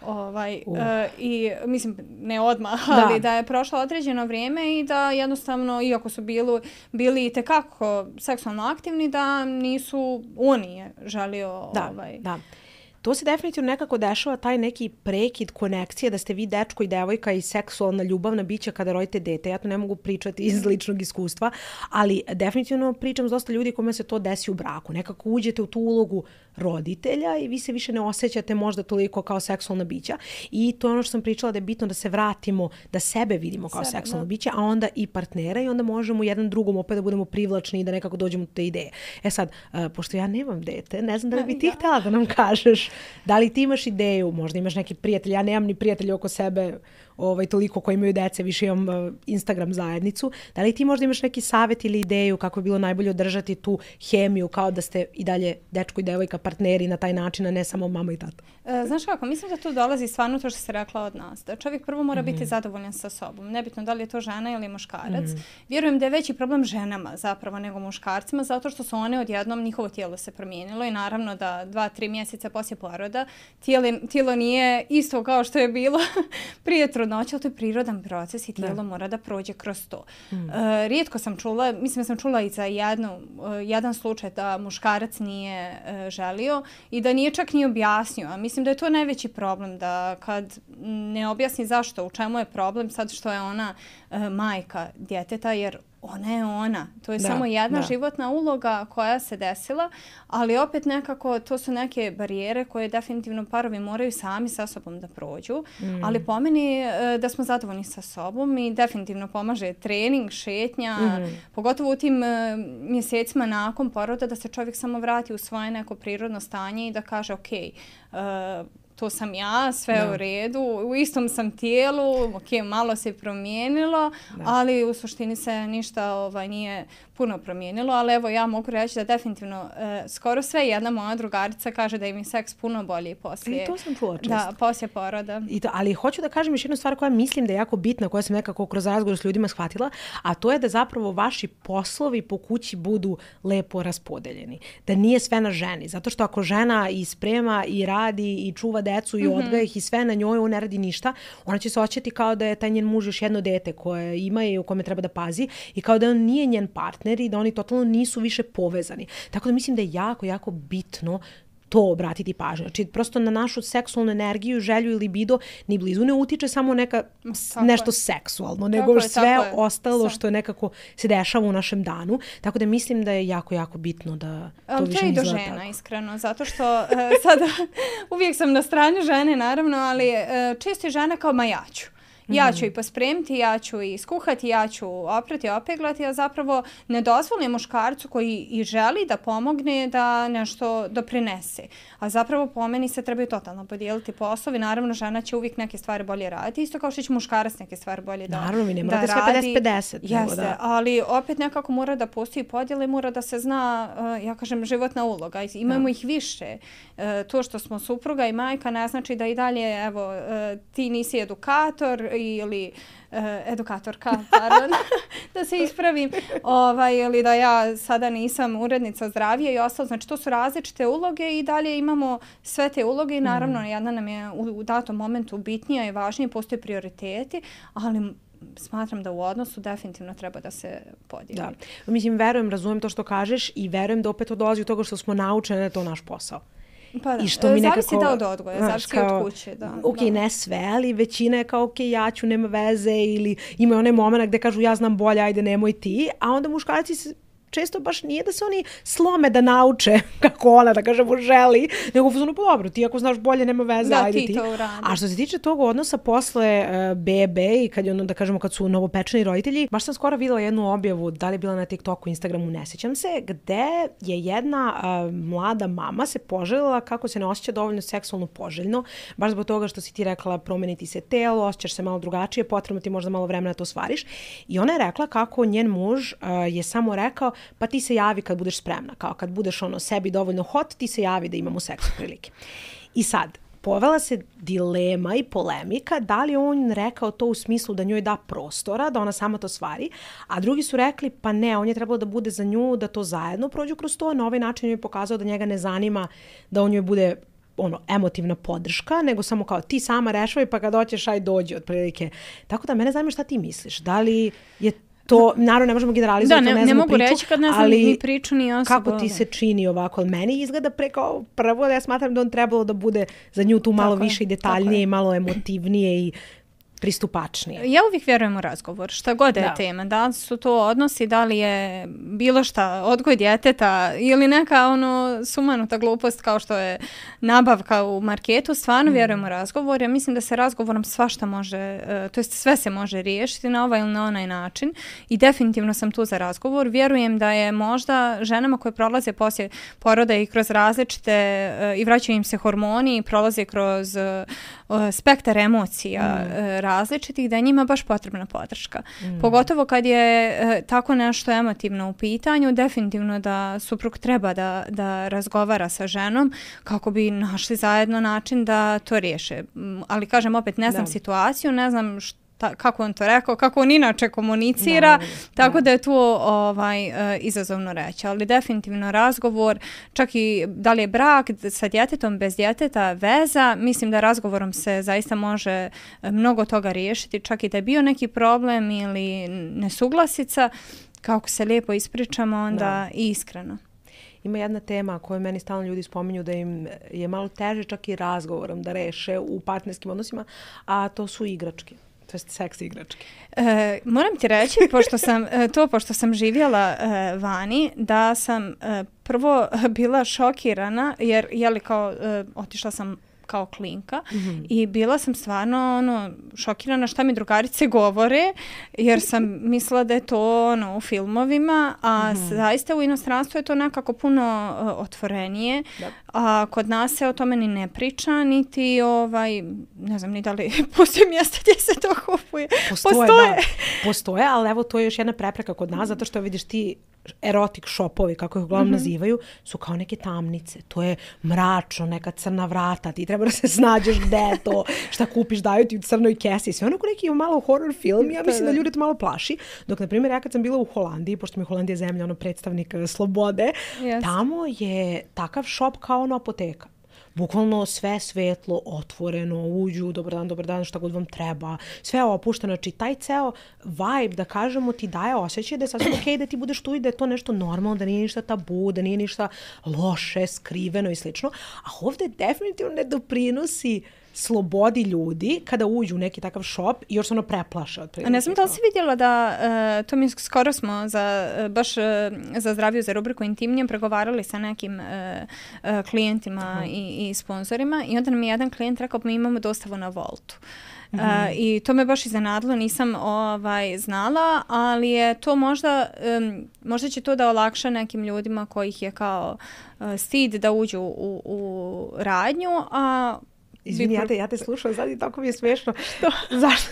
Ovaj, uh. e, i mislim ne odmah, ali da. da je prošlo određeno vrijeme i da jednostavno, iako su bili, bili i tekako seksualno aktivni, da nisu, on nije želio... Da, ovaj, da. To se definitivno nekako dešava, taj neki prekid konekcije, da ste vi dečko i devojka i seksualna ljubavna bića kada rodite dete. Ja to ne mogu pričati iz ličnog iskustva, ali definitivno pričam s dosta ljudi kome se to desi u braku. Nekako uđete u tu ulogu roditelja i vi se više ne osjećate možda toliko kao seksualna bića. I to je ono što sam pričala, da je bitno da se vratimo, da sebe vidimo kao sebe, seksualna da. bića, a onda i partnera i onda možemo jedan drugom opet da budemo privlačni i da nekako dođemo do te ideje. E sad, uh, pošto ja nemam dete, ne znam da li bi ti htjela da nam kažeš, da li ti imaš ideju, možda imaš neki prijatelj, ja nemam ni prijatelja oko sebe, ovaj, toliko koji imaju dece, više imam uh, Instagram zajednicu. Da li ti možda imaš neki savjet ili ideju kako je bilo najbolje održati tu hemiju, kao da ste i dalje dečko i devojka partneri na taj način, a ne samo mama i tata? E, znaš kako, mislim da tu dolazi stvarno to što si rekla od nas. Da čovjek prvo mora mm-hmm. biti zadovoljan sa sobom. Nebitno da li je to žena ili muškarac. Mm-hmm. Vjerujem da je veći problem ženama zapravo nego muškarcima, zato što su one odjednom, njihovo tijelo se promijenilo i naravno da dva, tri mjeseca poslije poroda tijelo, tijelo nije isto kao što je bilo prije trudnoće, ali to je prirodan proces i tijelo da. mora da prođe kroz to. Mm. E, rijetko sam čula, mislim da sam čula i za jednu, uh, jedan slučaj da muškarac nije uh, želio i da nije čak ni objasnio. A mislim da je to najveći problem, da kad ne objasni zašto, u čemu je problem, sad što je ona uh, majka djeteta, jer ona je ona. To je da, samo jedna da. životna uloga koja se desila, ali opet nekako to su neke barijere koje definitivno parovi moraju sami sa sobom da prođu. Mm. Ali po meni da smo zadovoljni sa sobom i definitivno pomaže trening, šetnja, mm. pogotovo u tim mjesecima nakon poroda, da se čovjek samo vrati u svoje neko prirodno stanje i da kaže ok, uh, to sam ja, sve da. u redu, u istom sam tijelu, ok, malo se promijenilo, da. ali u suštini se ništa ovaj, nije puno promijenilo, ali evo ja mogu reći da definitivno e, skoro sve jedna moja drugarica kaže da im je seks puno bolji poslije. I to sam čula često. Da, poslije poroda. I to, ali hoću da kažem još jednu stvar koja mislim da je jako bitna, koja sam nekako kroz razgovor s ljudima shvatila, a to je da zapravo vaši poslovi po kući budu lepo raspodeljeni. Da nije sve na ženi. Zato što ako žena i sprema i radi i čuva decu i mm-hmm. odgaja ih i sve na njoj, on ne radi ništa, ona će se osjećati kao da je taj njen muž još jedno dete koje ima i u kome treba da pazi i kao da on nije njen partner i da oni totalno nisu više povezani. Tako da mislim da je jako, jako bitno to obratiti pažnju. Znači, prosto na našu seksualnu energiju, želju i libido ni blizu ne utiče samo neka tako nešto je. seksualno, nego je, sve je. ostalo Sve. što je nekako se dešava u našem danu. Tako da mislim da je jako, jako bitno da to ali više to je ne i do izgleda žena, tako. iskreno, zato što uh, sada uvijek sam na strani žene, naravno, ali uh, često je žena kao ma ja ću. Ja ću i pospremiti, ja ću i skuhati, ja ću oprati, opeglati, a zapravo ne dozvolim muškarcu koji i želi da pomogne da nešto doprinese. A zapravo po meni se trebaju totalno podijeliti poslovi. Naravno, žena će uvijek neke stvari bolje raditi, isto kao što će muškarac neke stvari bolje da, Naravno, mi ne mora da, da da sve radi. pedeset pedeset. Jeste, da. ali opet nekako mora da postoji podjela i mora da se zna, uh, ja kažem, životna uloga. Imamo da. ih više. Uh, to što smo supruga i majka ne znači da i dalje, evo, uh, ti nisi edukator ili uh, edukatorka, pardon, da se ispravim, ovaj, ili da ja sada nisam urednica zdravije i ostalo. Znači, to su različite uloge i dalje imamo sve te uloge i naravno, mm. jedna nam je u, u datom momentu bitnija i važnije, postoje prioriteti, ali smatram da u odnosu definitivno treba da se podijeli. Da. Mislim, verujem, razumijem to što kažeš i verujem da opet to dolazi od toga što smo naučeni da je to naš posao. Pa da, I što mi zavisi nekako, da od odgoja, zavisi od kuće. Da, ok, da. ne sve, ali većina je kao ok, ja ću, nema veze, ili ima onaj moment gde kažu ja znam bolje, ajde nemoj ti, a onda muškarci se često baš nije da se oni slome da nauče kako ona, da kažemo, želi, nego uzmano, pa dobro, ti ako znaš bolje, nema veze, da, ajde ti. ti. To uradi. A što se tiče tog odnosa posle uh, bebe i kad je ono, da kažemo, kad su novopečeni roditelji, baš sam skoro videla jednu objavu, da li je bila na TikToku, Instagramu, ne sjećam se, gde je jedna uh, mlada mama se poželjela kako se ne osjeća dovoljno seksualno poželjno, baš zbog toga što si ti rekla promeniti se telo, osjećaš se malo drugačije, potrebno ti možda malo vremena da to stvariš. I ona je rekla kako njen muž uh, je samo rekao pa ti se javi kad budeš spremna. Kao kad budeš ono sebi dovoljno hot, ti se javi da imamo seks prilike. I sad, povela se dilema i polemika da li on rekao to u smislu da njoj da prostora, da ona sama to stvari, a drugi su rekli pa ne, on je trebalo da bude za nju, da to zajedno prođu kroz to, na ovaj način njoj je pokazao da njega ne zanima da on njoj bude ono, emotivna podrška, nego samo kao ti sama rešavaj pa kad hoćeš aj dođi otprilike. Tako da mene zanima šta ti misliš. Da li je to, naravno ne možemo generalizovati, da, ne, ne, ne mogu priču, reći kad ne znam ali ni priču ni osobu. kako ti se čini ovako? Meni izgleda pre kao prvo da ja smatram da on trebalo da bude za nju tu malo tako više je, i detaljnije i malo emotivnije i pristupačnije. Ja uvijek vjerujem u razgovor, šta god je da. tema. Da li su to odnosi, da li je bilo šta, odgoj djeteta ili neka ono sumanuta glupost kao što je nabavka u marketu. Stvarno mm. vjerujem u razgovor. Ja mislim da se razgovorom svašta može, uh, to jest sve se može riješiti na ovaj ili na onaj način i definitivno sam tu za razgovor. Vjerujem da je možda ženama koje prolaze poslije poroda i kroz različite uh, i vraćaju im se hormoni i prolaze kroz uh, spektar emocija mm. različitih, da je njima baš potrebna podrška. Mm. Pogotovo kad je e, tako nešto emotivno u pitanju, definitivno da suprug treba da, da razgovara sa ženom kako bi našli zajedno način da to riješe. Ali kažem opet, ne znam da. situaciju, ne znam šta Ta, kako on to rekao, kako on inače komunicira, no, tako no. da je tu ovaj, uh, izazovno reći. Ali definitivno razgovor, čak i da li je brak sa djetetom, bez djeteta, veza, mislim da razgovorom se zaista može mnogo toga riješiti, čak i da je bio neki problem ili nesuglasica, kako se lijepo ispričamo, onda no. iskreno. Ima jedna tema koju meni stalno ljudi spominju da im je malo teže čak i razgovorom da reše u partnerskim odnosima, a to su igračke. To je seks igračke. E, moram ti reći, pošto sam, to pošto sam živjela e, vani, da sam e, prvo bila šokirana, jer je li kao, e, otišla sam kao klinka mm-hmm. i bila sam stvarno ono, šokirana šta mi drugarice govore, jer sam mislila da je to ono, u filmovima, a mm-hmm. zaista u inostranstvu je to nekako puno uh, otvorenije, da. A kod nas se o tome ni ne priča, niti ovaj, ne znam ni da li postoji mjesta gdje se to kupuje. Postoje, Postoje. Da. Postoje, ali evo to je još jedna prepreka kod nas, zato što vidiš ti erotik shopovi, kako ih uglavnom mm-hmm. nazivaju, su kao neke tamnice. To je mračno, neka crna vrata, ti treba da se snađeš gde je to, šta kupiš, daju ti u crnoj kesi. Sve ono ko neki malo horror film, ja mislim da ljudi to malo plaši. Dok, na primjer, ja kad sam bila u Holandiji, pošto mi je Holandija zemlja, ono predstavnik slobode, yes. tamo je takav shop kao ono apoteka. bukvalno sve svetlo, otvoreno, uđu, dobar dan, dobar dan, šta god vam treba, sve opušteno. Znači, taj ceo vibe, da kažemo, ti daje osjećaj da je sasvim okej da ti budeš tu i da je to nešto normalno, da nije ništa tabu, da nije ništa loše, skriveno i slično. A ovde definitivno ne doprinosi slobodi ljudi kada uđu u neki takav šop i još se ono preplaše. A ne znam da li si vidjela da, uh, to mi skoro smo za, uh, baš uh, za zdraviju, za rubriku Intimnije pregovarali sa nekim uh, uh, klijentima uh-huh. i, i sponzorima i onda nam je jedan klijent rekao, mi imamo dostavu na Voltu. Uh, mm-hmm. I to me baš iznenadilo, nisam ovaj, znala, ali je to možda, um, možda će to da olakša nekim ljudima kojih je kao uh, stid da uđu u, u radnju, a Izvini, ja te, ja te slušam, sad i tako mi je smiješno. Zašto?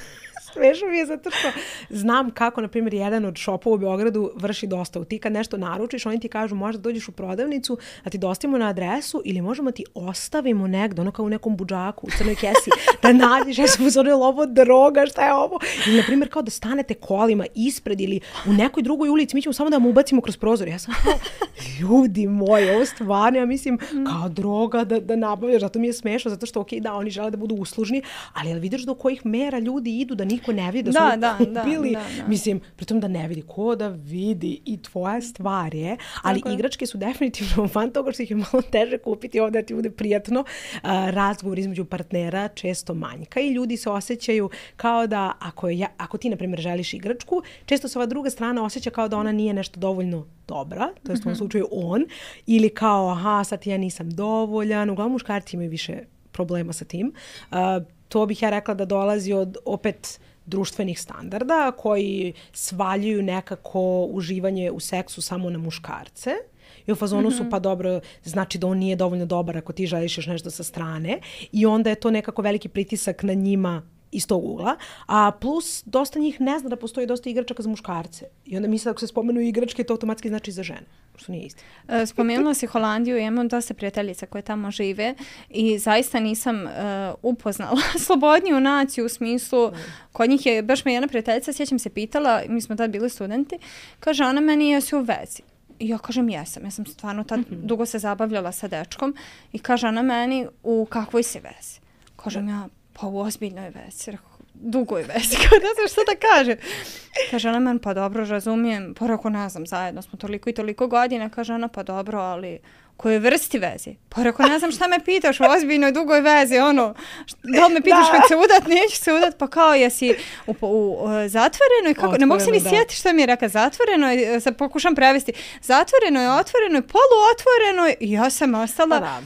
Smiješno mi je zato što znam kako, na primjer, jedan od šopova u Beogradu vrši dostavu. Ti kad nešto naručiš, oni ti kažu možda dođeš u prodavnicu, da ti dostavimo na adresu ili možemo ti ostavimo negdje, ono kao u nekom budžaku, u crnoj kesi, da nađeš, ja sam uzorila ovo droga, šta je ovo? Ili, na primjer, kao da stanete kolima ispred ili u nekoj drugoj ulici, mi ćemo samo da mu ubacimo kroz prozor. Ja sam kao, ljudi moji, ovo stvarno, ja mislim, kao droga da, da nabavljaš, zato mi je smiješno, zato što, okej, da, oni žele da budu uslužni, ali jel vidiš do kojih mera ljudi idu da niko ne vidi, da su da, da, kupili, da, da, da. Mislim, pritom da ne vidi, ko da vidi i tvoja stvar je, ali tako igračke su definitivno van toga što ih je malo teže kupiti ovdje da ti bude prijatno. Uh, razgovor između partnera često manjka i ljudi se osjećaju kao da ako, ja, ako ti, na primjer, želiš igračku, često se ova druga strana osjeća kao da ona nije nešto dovoljno dobra, to je u ovom slučaju on, ili kao, aha, sad ja nisam dovoljan, uglavnom muškarci imaju više problema sa tim. Uh, to bih ja rekla da dolazi od, opet, društvenih standarda koji svaljuju nekako uživanje u seksu samo na muškarce. I u fazonu mm-hmm. su pa dobro, znači da on nije dovoljno dobar ako ti želiš još nešto sa strane. I onda je to nekako veliki pritisak na njima iz tog ugla. A plus, dosta njih ne zna da postoji dosta igračaka za muškarce. I onda misle ako se spomenu igračke, to automatski znači za žene. Što nije isti. Spomenula si Holandiju, imam dosta prijateljica koje tamo žive i zaista nisam uh, upoznala slobodniju naciju u smislu, kod njih je, baš me jedna prijateljica, sjećam se pitala, mi smo tad bili studenti, kaže ona meni, jesi u vezi? I ja kažem jesam, ja sam stvarno tad mm-hmm. dugo se zabavljala sa dečkom i kaže ona meni, u kakvoj si vezi? Kažem ja, pa u ozbiljnoj vezi. Dugoj vezi, kao ne znam što da kaže. Kaže ona meni, pa dobro, razumijem, pa rako ne znam, zajedno smo toliko i toliko godina, kaže ona, pa dobro, ali koje vrsti vezi? Pa rako ne znam šta me pitaš u ozbiljnoj dugoj vezi, ono, da li me pitaš kad se udat, neću se udat, pa kao jesi u, u, u zatvorenoj, kako, otvoreno, ne mogu se ni sjetiti što mi je rekao, zatvorenoj, sad pokušam prevesti, zatvorenoj, otvorenoj, poluotvorenoj, i ja sam ostala... Pa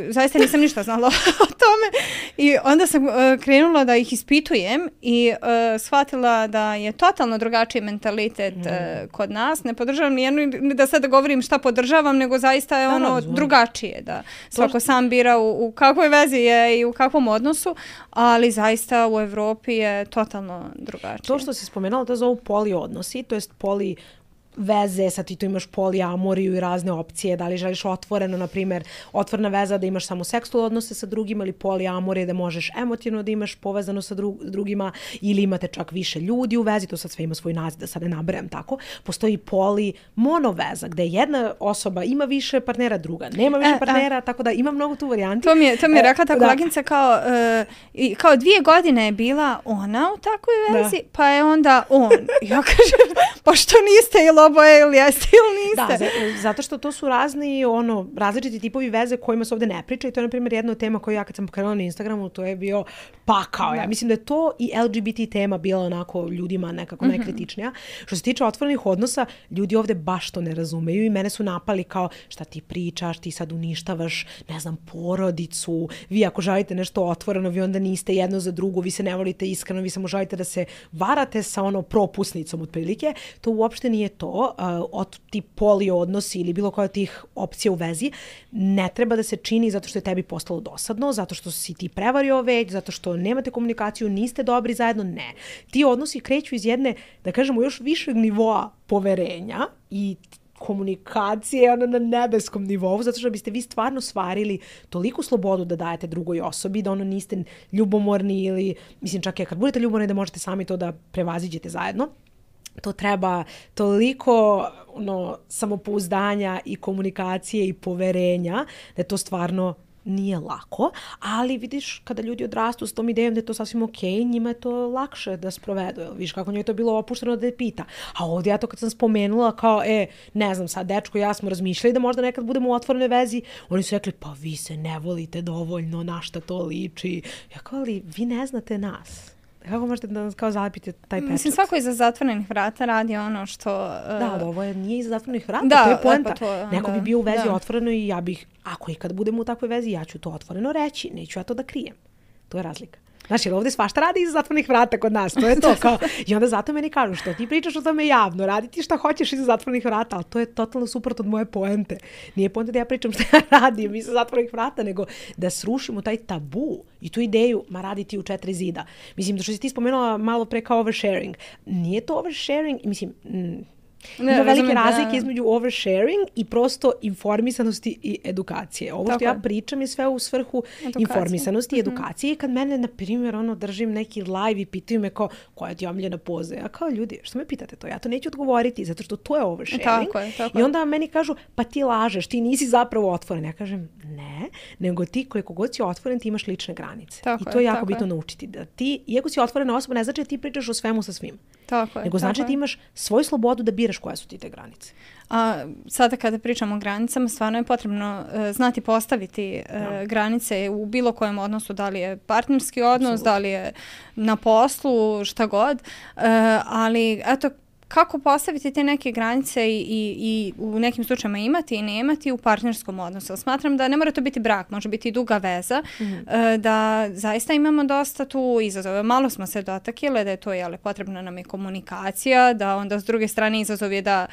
zaista nisam ništa znala o tome i onda sam uh, krenula da ih ispitujem i uh, shvatila da je totalno drugačiji mentalitet mm. uh, kod nas. Ne podržavam nijednu, da sad govorim šta podržavam, nego zaista je da, ono razumim. drugačije. Da svako to... sam bira u, u kakvoj vezi je i u kakvom odnosu, ali zaista u Evropi je totalno drugačije. To što si spomenula, to zovu poli odnosi, to jest poli veze, sad ti tu imaš poliamoriju i razne opcije, da li želiš otvoreno, na primjer, otvorena veza da imaš samo seksualne odnose sa drugima ili poliamorije da možeš emotivno da imaš povezano sa dru- drugima ili imate čak više ljudi u vezi, to sad sve ima svoj naziv, da sad ne nabrajam tako. Postoji poli monoveza gdje jedna osoba ima više partnera, druga nema više e, partnera, a, tako da ima mnogo tu varijanti. To mi je, to mi je rekla ta koleginica kao, uh, kao dvije godine je bila ona u takvoj vezi, da. Pa je onda on. Ja kažem, pa što niste ili oboje ili jeste ili niste. Da, zato što to su razni, ono, različiti tipovi veze kojima se ovdje ne priča i to je, na primjer, jedna od tema koju ja kad sam pokrenula na Instagramu, to je bio pakao. Ja mislim da je to i L G B T tema bila onako ljudima nekako mm-hmm. najkritičnija. Što se tiče otvorenih odnosa, ljudi ovdje baš to ne razumeju i mene su napali kao šta ti pričaš, ti sad uništavaš, ne znam, porodicu, vi ako želite nešto otvoreno, vi onda niste jedno za drugo, vi se ne volite iskreno, vi samo želite da se varate sa ono propusnicom otprilike. To uopšte nije to. Uh, od ti poli odnosi ili bilo koja od tih opcija u vezi ne treba da se čini zato što je tebi postalo dosadno, zato što si ti prevario već, zato što nemate komunikaciju, niste dobri zajedno, ne. Ti odnosi kreću iz jedne, da kažemo, još višeg nivoa poverenja i komunikacije ono, na nebeskom nivou, zato što biste vi stvarno stvarili toliku slobodu da dajete drugoj osobi, da ono niste ljubomorni ili, mislim čak i kad budete ljubomorni da možete sami to da prevaziđete zajedno. To treba toliko ono, samopouzdanja i komunikacije i poverenja da je to stvarno nije lako, ali vidiš kada ljudi odrastu s tom idejom da je to sasvim okej, njima je to lakše da sprovedu. Viš kako njoj je to bilo opušteno da je pita. A ovdje ja to kad sam spomenula kao, e, ne znam sad, dečko i ja smo razmišljali da možda nekad budemo u otvorenoj vezi, oni su rekli, pa vi se ne volite dovoljno, na šta to liči. Ja kao, ali vi ne znate nas. Kako možete da nas kao zalepite taj pečat? Mislim, svako iza zatvorenih vrata radi ono što... Uh... Da, ovo je, nije iza zatvorenih vrata, da, to je poenta. To, Neko da, bi bio u vezi da. otvoreno i ja bih, ako i kad budemo u takvoj vezi, ja ću to otvoreno reći, neću ja to da krijem. To je razlika. Znaš, jer ovdje svašta radi iza zatvornih vrata kod nas, to je to. Kao, i onda zato meni kažu, što ti pričaš o tome javno, radi ti šta hoćeš iza zatvornih vrata, ali to je totalno suprotno od moje poente. Nije poenta da ja pričam šta ja radim iza zatvornih vrata, nego da srušimo taj tabu i tu ideju, ma radi ti u četiri zida. Mislim, da što si ti spomenula malo pre kao oversharing, nije to oversharing, mislim... Mm, Ima ne, velike razlike da. između oversharing i prosto informisanosti i edukacije. Ovo Tako što ja pričam je sve u svrhu edukacije. informisanosti i edukacije. Mm-hmm. Kad mene, na primjer, ono, držim neki live i pitaju me kao, koja ti je omiljena poza? Ja kao, ljudi, što me pitate to? Ja to neću odgovoriti, zato što to je oversharing. Tako je, tako I onda meni kažu, pa ti lažeš, ti nisi zapravo otvoren. Ja kažem, ne, nego ti koliko god si otvoren, ti imaš lične granice. Tako I to je jako tako bitno je. naučiti. Da ti, iako si otvorena osoba, ne znači da ti pričaš o svemu sa svim. Tako je, nego znači da ti imaš svoju slobodu da biraš koje su ti te granice. A sada kada pričamo o granicama, stvarno je potrebno uh, znati postaviti uh, granice u bilo kojem odnosu, da li je partnerski odnos, Absolutno. da li je na poslu, šta god. Uh, ali eto, kako postaviti te neke granice i, i, i u nekim slučajima imati i ne imati u partnerskom odnosu. Smatram da ne mora to biti brak, može biti i duga veza, mm-hmm. da zaista imamo dosta tu izazove. Malo smo se dotakile da je to jele, potrebna nam je komunikacija, da onda s druge strane izazov je da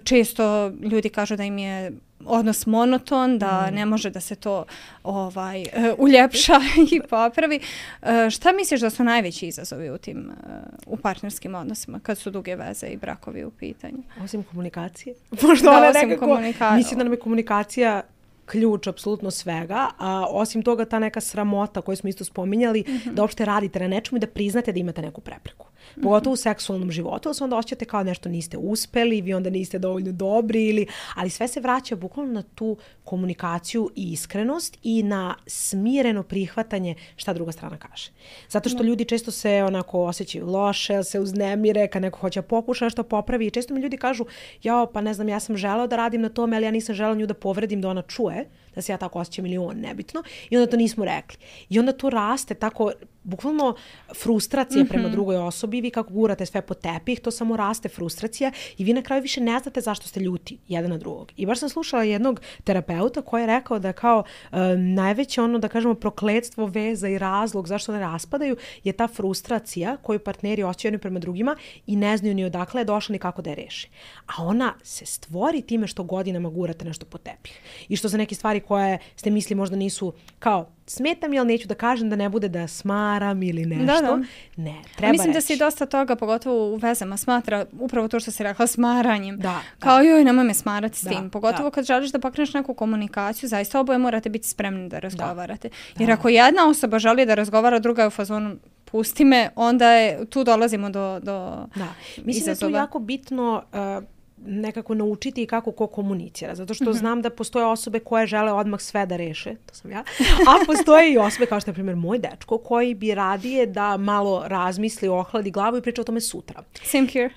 često ljudi kažu da im je odnos monoton, da mm. ne može da se to ovaj uh, uljepša i popravi. Uh, šta misliš da su najveći izazovi u tim uh, u partnerskim odnosima kad su duge veze i brakovi u pitanju? Osim komunikacije. Možda da, ona osim nekako, komunikacije. Mislim da nam je komunikacija ključ apsolutno svega, a osim toga ta neka sramota koju smo isto spominjali, mm-hmm. da uopšte radite na nečemu i da priznate da imate neku prepreku. Pogotovo u seksualnom životu, ali se onda osjećate kao nešto niste uspeli, vi onda niste dovoljno dobri, ili, ali sve se vraća bukvalno na tu komunikaciju i iskrenost i na smireno prihvatanje šta druga strana kaže. Zato što ljudi često se onako osjećaju loše, se uznemire, kad neko hoće pokuša nešto popravi i često mi ljudi kažu, jao, pa ne znam, ja sam želeo da radim na tome, ali ja nisam želeo nju da povredim, da ona čuje, da se ja tako osjećam ili on, nebitno, i onda to nismo rekli. I onda to raste tako, bukvalno frustracija mm-hmm. prema drugoj osobi, vi kako gurate sve po tepih, to samo raste frustracija i vi na kraju više ne znate zašto ste ljuti jedan na drugog. I baš sam slušala jednog terapeuta koji je rekao da kao uh, najveće ono, da kažemo, prokletstvo veza i razlog zašto ne raspadaju je ta frustracija koju partneri osjećaju jedni prema drugima i ne znaju ni odakle je došla ni kako da je reše. A ona se stvori time što godinama gurate nešto po tepih. I što za neke stvari koje ste misli možda nisu kao smetam je, ali neću da kažem da ne bude da smaram ili nešto. Da, da. Ne, treba Mislim reći. da se dosta toga, pogotovo u vezama, smatra upravo to što si rekla, smaranjem. Da, Kao da. joj, nemoj me smarati s da, tim. Pogotovo da. kad želiš da pokreneš neku komunikaciju, zaista oboje morate biti spremni da razgovarate. Da. Jer ako jedna osoba želi da razgovara, druga je u fazonu pusti me, onda je, tu dolazimo do, do da. Mislim izazova. Da je tu jako bitno uh, nekako naučiti kako ko komunicira. Zato što mm-hmm. znam da postoje osobe koje žele odmah sve da reše, to sam ja, a postoje i osobe kao što je, na primjer, moj dečko, koji bi radije da malo razmisli, ohladi glavu i priča o tome sutra. Same here.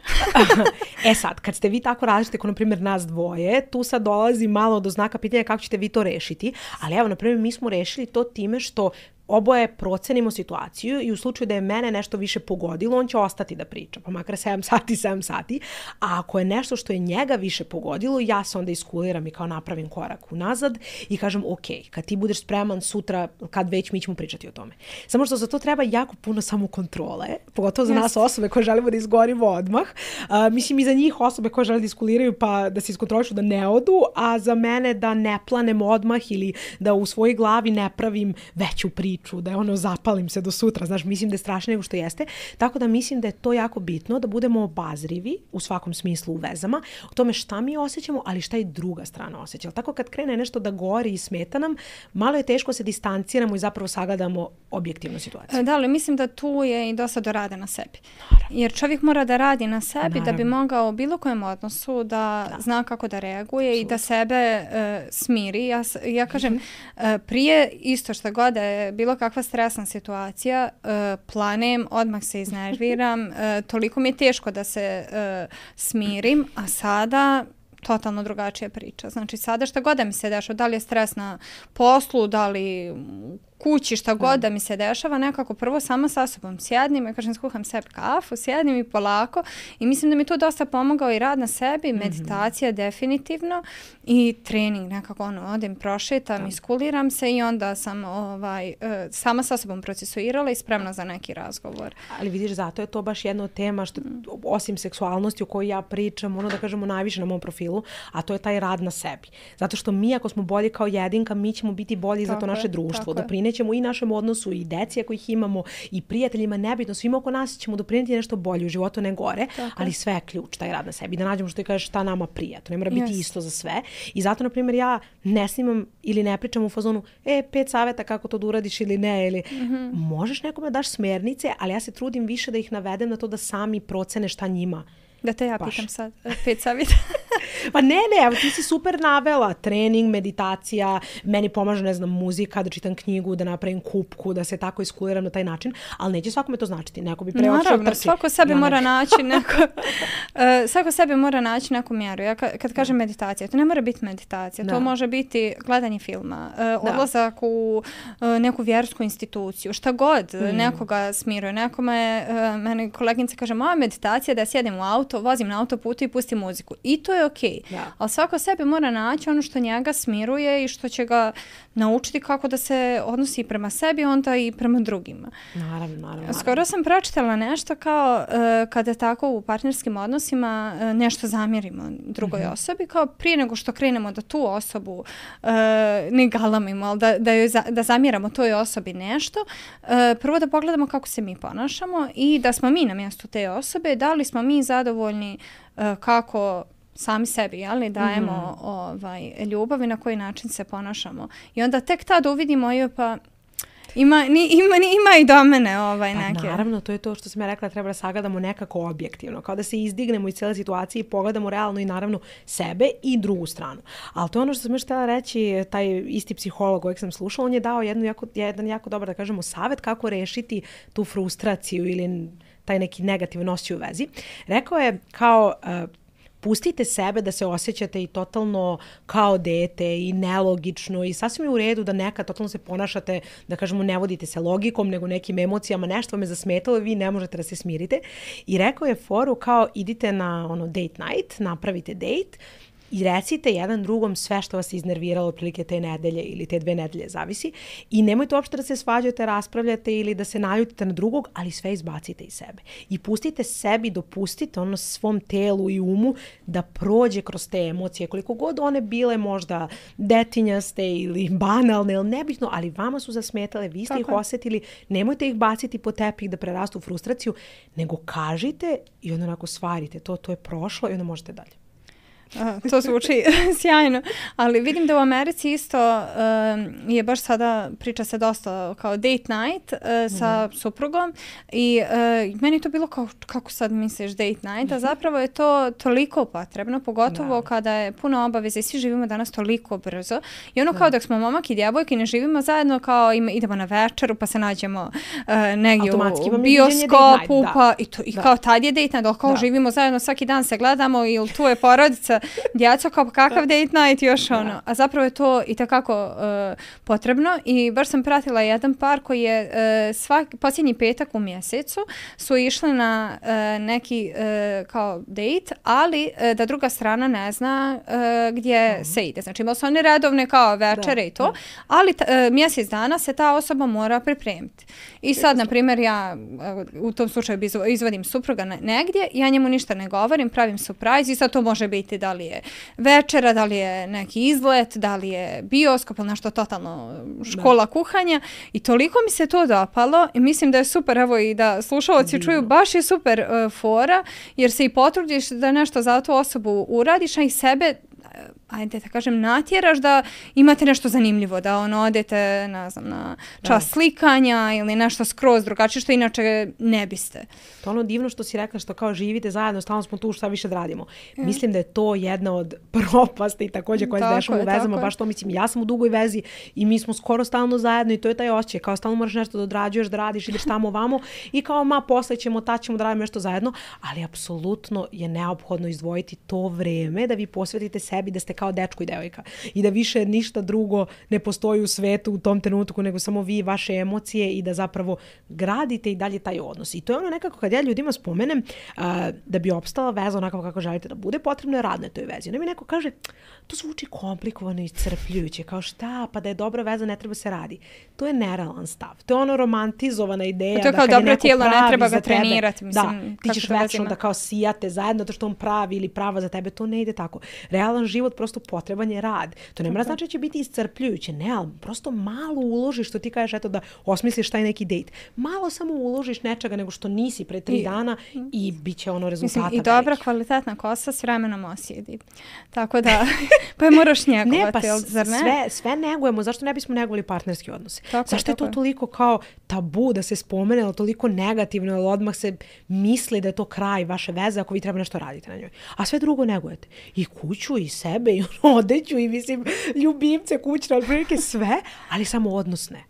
E sad, kad ste vi tako različite, kao na primjer nas dvoje, tu sad dolazi malo do znaka pitanja kako ćete vi to rešiti, ali evo, na primjer, mi smo rešili to time što oboje procenimo situaciju i u slučaju da je mene nešto više pogodilo, on će ostati da priča, pa makar sedam sati, sedam sati. A ako je nešto što je njega više pogodilo, ja se onda iskuliram i kao napravim korak unazad i kažem, ok, kad ti budeš spreman sutra, kad već, mi ćemo pričati o tome. Samo što za to treba jako puno samokontrole, pogotovo za yes. nas osobe koje želimo da izgorimo odmah. Uh, mislim i za njih osobe koje žele da iskuliraju pa da se iskontrolišu da ne odu, a za mene da ne planem odmah ili da u svojoj glavi ne pravim veću priču priču, da je ono zapalim se do sutra, znaš, mislim da je strašnije nego što jeste. Tako da mislim da je to jako bitno, da budemo obazrivi u svakom smislu u vezama, o tome šta mi osjećamo, ali šta i druga strana osjeća. Tako kad krene nešto da gori i smeta nam, malo je teško se distanciramo i zapravo sagledamo objektivnu situaciju. Da, ali mislim da tu je i dosta do rada na sebi. Naravno. Jer čovjek mora da radi na sebi Naravno. Da bi mogao u bilo kojem odnosu da, da. zna kako da reaguje Absolut. I da sebe uh, smiri. Ja, ja kažem, mm-hmm. uh, prije isto što god je bilo kakva stresna situacija, uh, planem, odmah se iznerviram, uh, toliko mi je teško da se uh, smirim, a sada totalno drugačija priča. Znači sada šta god da mi se dešava, da li je stres na poslu, da li kući, šta god da mi se dešava, nekako prvo sama sa sobom sjednim, ja kažem, skuham sebi kafu, sjednim i polako i mislim da mi to dosta pomogao i rad na sebi, mm-hmm. meditacija definitivno i trening, nekako ono, odem, prošetam, da. Iskuliram se i onda sam ovaj, sama sa sobom procesuirala i spremna za neki razgovor. Ali vidiš, zato je to baš jedna od tema što, osim seksualnosti o kojoj ja pričam, ono da kažemo najviše na mom profilu, a to je taj rad na sebi. Zato što mi, ako smo bolji kao jedinka, mi ćemo biti bolji za to naše društvo, doprinećemo i našem odnosu i deci ako ih imamo i prijateljima, nebitno, svima oko nas ćemo doprinijeti nešto bolje u životu, ne gore, tako. Ali sve je ključ, taj rad na sebi. Da nađemo što ti kažeš šta nama prija. To ne mora biti yes. isto za sve. I zato, na primjer, ja ne snimam ili ne pričam u fazonu, e, pet savjeta kako to da uradiš ili ne, ili mm-hmm. možeš nekome daš smjernice, ali ja se trudim više da ih navedem na to da sami procene šta njima. Da te ja pitam sad, pet savjeta. Pa ne, ne, evo ti si super navela, trening, meditacija, meni pomaže, ne znam, muzika, da čitam knjigu, da napravim kupku, da se tako iskuliram na taj način, ali neće svakome to značiti, neko bi preočio trči. Naravno, svako sebi ja mora naći neko, uh, svako sebi mora naći neku mjeru. Ja kad, kad kažem meditacija, to ne mora biti meditacija, da. To može biti gledanje filma, uh, odlazak u uh, neku vjersku instituciju, šta god, mm. nekoga smiruje, nekome, uh, meni koleginica kaže, moja meditacija da ja sjedim u auto, vozim na autoputu i pustim muziku. I to je okej. Okay. Ali svako sebi mora naći ono što njega smiruje i što će ga naučiti kako da se odnosi prema sebi, onda i prema drugima. Naravno, naravno. Skoro sam pročitala nešto kao uh, kada tako u partnerskim odnosima uh, nešto zamjerimo drugoj mm-hmm. osobi, kao prije nego što krenemo da tu osobu uh, ne galamimo, ali da, da, joj za, da zamjeramo toj osobi nešto, uh, prvo da pogledamo kako se mi ponašamo i da smo mi na mjestu te osobe, da li smo mi zadovoljni uh, kako sami sebi, jel, dajemo mm. ovaj, ljubav i na koji način se ponašamo. I onda tek tada uvidimo, jo, pa ima, ni, ima, ni, ima i do mene ovaj, neke. Pa, naravno, to je to što sam ja rekla, treba da sagledamo nekako objektivno, kao da se izdignemo iz cijele situacije i pogledamo realno i naravno sebe i drugu stranu. Ali to je ono što sam još htjela reći, taj isti psiholog kojeg sam slušala, on je dao jednu jako, jedan jako dobar, da kažemo, savjet kako rešiti tu frustraciju ili taj neki negativan osjećaj u vezi. Rekao je kao uh, pustite sebe da se osjećate i totalno kao dete i nelogično i sasvim je u redu da nekad totalno se ponašate, da kažemo ne vodite se logikom nego nekim emocijama, nešto me zasmetalo i vi ne možete da se smirite. I rekao je foru kao idite na ono date night, napravite date i recite jedan drugom sve što vas iznerviralo otprilike te nedelje ili te dve nedelje, zavisi. I nemojte uopšte da se svađate, raspravljate ili da se naljutite na drugog, ali sve izbacite iz sebe. I pustite sebi, dopustite ono svom telu i umu da prođe kroz te emocije, koliko god one bile možda detinjaste ili banalne ili nebitno, ali vama su zasmetale, vi ste Tako ih osjetili, nemojte ih baciti po tepih da prerastu u frustraciju, nego kažite i onda onako stvarite to, to je prošlo i onda možete dalje. Uh, to zvuči sjajno, ali vidim da u Americi isto uh, je baš sada priča se dosta kao date night uh, sa mm. suprugom i uh, meni to bilo kao kako sad misliš date night, a zapravo je to toliko potrebno, pogotovo da. Kada je puno obaveza i svi živimo danas toliko brzo i ono da. Kao dok smo momak i djevojke ne živimo zajedno kao im, idemo na večeru pa se nađemo uh, negdje u bioskopu night, pa i, to, i kao tad je date night, ali kao da. Živimo zajedno svaki dan se gledamo ili tu je porodica djeco kao kakav date night još ono. A zapravo je to i takako uh, potrebno i baš sam pratila jedan par koji je uh, svaki, posljednji petak u mjesecu su išli na uh, neki uh, kao date, ali uh, da druga strana ne zna uh, gdje mm. se ide. Znači imali su oni redovne kao večere da, i to, da. Ali t, uh, mjesec dana se ta osoba mora pripremiti. I sad, na primjer, ja uh, u tom slučaju izvodim supruga negdje, ja njemu ništa ne govorim, pravim surprise i sad to može biti da da li je večera, da li je neki izlet, da li je bioskop ili nešto totalno škola da. kuhanja i toliko mi se to dopalo i mislim da je super, evo i da slušalci čuju, baš je super uh, fora jer se i potrudiš da nešto za tu osobu uradiš, a i sebe ajde da kažem, natjeraš da imate nešto zanimljivo, da ono odete, ne znam, na čas da. slikanja ili nešto skroz drugačije što inače ne biste. To ono divno što si rekla, što kao živite zajedno, stalno smo tu, šta više da radimo. Mm. Mislim da je to jedna od propasti također koje se dešava u vezama, baš to mislim, ja sam u dugoj vezi i mi smo skoro stalno zajedno i to je taj osjećaj, kao stalno moraš nešto da odrađuješ, da radiš, ideš tamo vamo i kao ma posle ćemo, ta ćemo da radimo nešto zajedno, ali apsolutno je neophodno izdvojiti to vreme da vi posvetite sebi, da ste kao dečko i devojka i da više ništa drugo ne postoji u svetu u tom trenutku nego samo vi, vaše emocije i da zapravo gradite i dalje taj odnos. I to je ono nekako kad ja ljudima spomenem uh, da bi opstala veza onako kako želite da bude, potrebno je rad na toj vezi. Onda mi neko kaže, to zvuči komplikovano i iscrpljujuće, kao šta, pa da je dobra veza ne treba se radi. To je nerealan stav. To je ono romantizovana ideja. To je kao da dobro tijelo, ne treba ga trenirati. Mislim, da, ti ćeš večno da kao sijate zajedno to što on pravi ili prava za tebe, to ne ide tako. Realan život prosto potreban je rad. To ne mora znači da će biti iscrpljujuće, ne, ali prosto malo uložiš, što ti kažeš, eto da osmisliš taj neki dejt. Malo samo uložiš nečega nego što nisi pre tri I, dana i bit će ono rezultata. Mislim, i dobra veliki. Kvalitetna kosa s vremenom osjedi. Tako da, pa je moraš njegovati, ne, pa zar ne? Sve, sve negujemo, zašto ne bismo negovali partnerski odnose? Tako, zašto tako je to toliko kao tabu da se spomene, ali toliko negativno, ali odmah se misli da je to kraj vaše veze ako vi treba nešto raditi na njoj. A sve drugo negujete. I kuću, i sebe, i odeću, i mislim, ljubimce, kućne, ali prilike sve, ali samo odnos ne.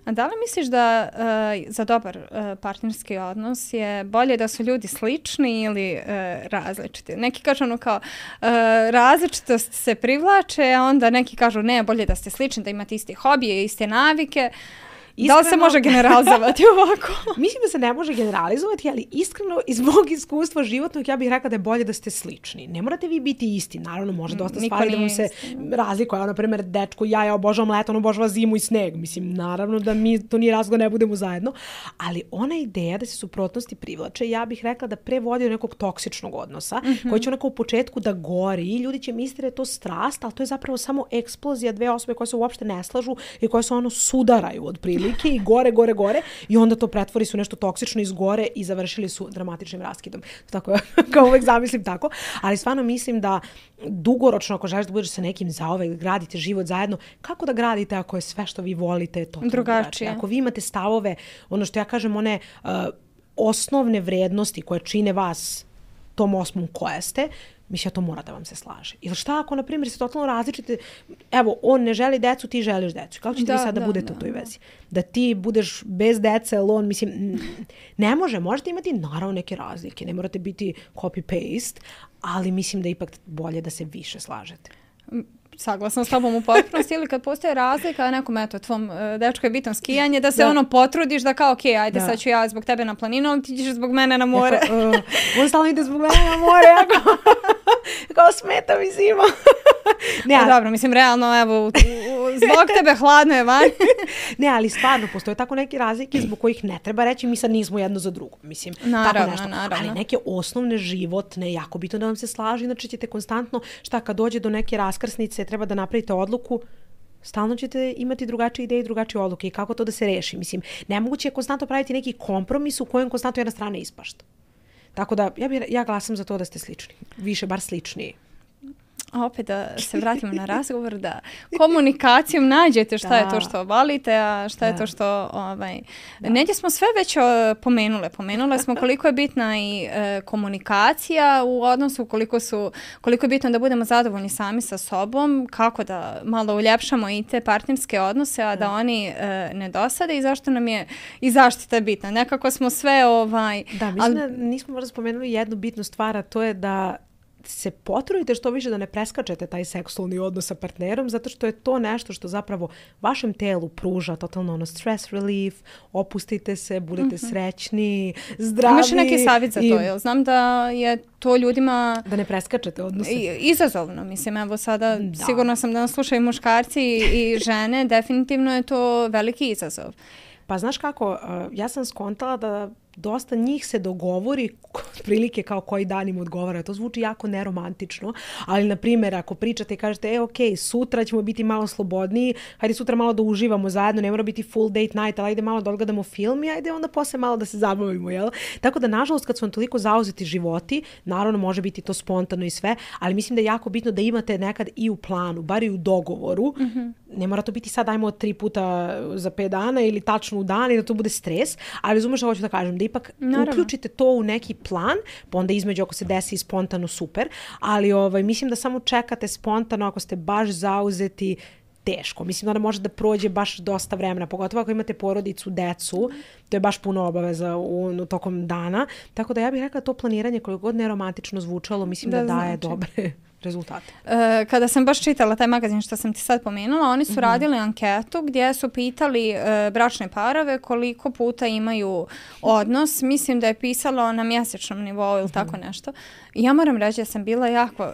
A da li misliš da uh, za dobar uh, partnerski odnos je bolje da su ljudi slični ili uh, različiti? Neki kažu ono kao uh, različitost se privlače, a onda neki kažu ne, bolje da ste slični, da imate iste hobije, iste navike. Iskreno, da li se može generalizovati ovako? Mislim da se ne može generalizovati, ali iskreno iz mog iskustva životnog ja bih rekla da je bolje da ste slični. Ne morate vi biti isti. Naravno, može dosta Niko stvari da vam se razlikuje. Ono, na primjer, dečko, ja, ja obožavam leto, on obožava zimu i sneg. Mislim, naravno da mi to nije razlog ne budemo zajedno. Ali ona ideja da se suprotnosti privlače, ja bih rekla da pre vodi do nekog toksičnog odnosa, mm-hmm. koji će onako u početku da gori i ljudi će misliti da je to strast, ali to je zapravo samo eksplozija dve osobe koje se uopšte ne slažu i koje se ono sudaraju od prilike i gore, gore, gore i onda to pretvori su nešto toksično iz gore i završili su dramatičnim raskidom. Tako kao uvek zamislim tako, ali stvarno mislim da dugoročno ako želiš da budeš sa nekim zauvek, gradite život zajedno, kako da gradite ako je sve što vi volite to drugačije? Ako vi imate stavove, ono što ja kažem, one uh, osnovne vrednosti koje čine vas tom osmom koja ste, mislim, to mora da vam se slaže. Ili šta ako, na primjer, se totalno različite, evo, on ne želi decu, ti želiš decu. Kako ćete da, vi sad da, da budete da, u toj vezi? Da ti budeš bez dece, ali on, mislim, ne može. Možete imati, naravno, neke razlike. Ne morate biti copy-paste, ali mislim da je ipak bolje da se više slažete. Saglasno s tobom u potpunosti ili kad postoje razlika, nekom, eto, tvom uh, dečku je bitno skijanje, da se da. ono potrudiš da kao, ok, ajde, da. sad ću ja zbog tebe na planinu, ali ti ćeš zbog mene na more. Jako, uh, on stalno ide zbog mene na more, jako, kao smeta mi zima. Ne, ali... Dobro, mislim, realno, evo, u, u, zbog tebe hladno je van. Ne, ali stvarno, postoje tako neke razlike zbog kojih ne treba reći, mi sad nismo jedno za drugo. Mislim, naravno, tako nešto. Naravno. Ali neke osnovne životne, jako bitno da vam se slaži, inače ćete konstantno, šta kad dođe do neke raskrsnice, treba da napravite odluku, stalno ćete imati drugačije ideje i drugačije odluke i kako to da se reši. Mislim, nemoguće je konstantno praviti neki kompromis u kojem konstantno jedna strana ispašta. Tako da, ja, bi, ja glasam za to da ste slični. Više, bar sličniji. A opet da se vratimo na razgovor, da komunikacijom nađete šta da. je to što volite, a šta da. je to što... Ovaj, negdje smo sve već pomenule. Pomenule smo koliko je bitna i e, komunikacija u odnosu, koliko, su, koliko je bitno da budemo zadovoljni sami sa sobom, kako da malo uljepšamo i te partnerske odnose, a da, da oni e, ne dosade i zašto nam je i zaštita bitna. Nekako smo sve... Ovaj, da, mislim ali, da nismo možda spomenuli jednu bitnu stvar, a to je da se potrudite što više da ne preskačete taj seksualni odnos sa partnerom, zato što je to nešto što zapravo vašem telu pruža totalno ono stress relief, opustite se, budete mm-hmm. srećni, zdravi. Imaš neki savjet za to, jel? Znam da je to ljudima... Da ne preskačete odnose. Izazovno, mislim, evo sada da. sigurno sam da nas slušaju muškarci i žene, definitivno je to veliki izazov. Pa znaš kako, ja sam skontala da dosta njih se dogovori prilike kao koji dan im odgovara. To zvuči jako neromantično, ali na primjer ako pričate i kažete, e ok, sutra ćemo biti malo slobodniji, hajde sutra malo da uživamo zajedno, ne mora biti full date night, ali ajde malo da odgledamo film i ajde onda posle malo da se zabavimo, jel? Tako da nažalost kad su vam toliko zauzeti životi, naravno može biti to spontano i sve, ali mislim da je jako bitno da imate nekad i u planu, bar i u dogovoru. Mm-hmm. Ne mora to biti sad ajmo tri puta za pet dana ili tačno u dan i da to bude stres, ali razumeš što hoću da kažem, da ipak naravno uključite to u neki plan, pa onda između ako se desi spontano super, ali ovaj, mislim da samo čekate spontano ako ste baš zauzeti, teško. Mislim da ona može da prođe baš dosta vremena, pogotovo ako imate porodicu, decu, to je baš puno obaveza u, u tokom dana, tako da ja bih rekla to planiranje koliko god neromantično zvučalo, mislim da, da daje znači dobre rezultate. E, kada sam baš čitala taj magazin što sam ti sad pomenula, oni su mm-hmm. radili anketu gdje su pitali e, bračne parove koliko puta imaju odnos. Mislim da je pisalo na mjesečnom nivou ili mm-hmm. tako nešto. I ja moram reći da sam bila jako e,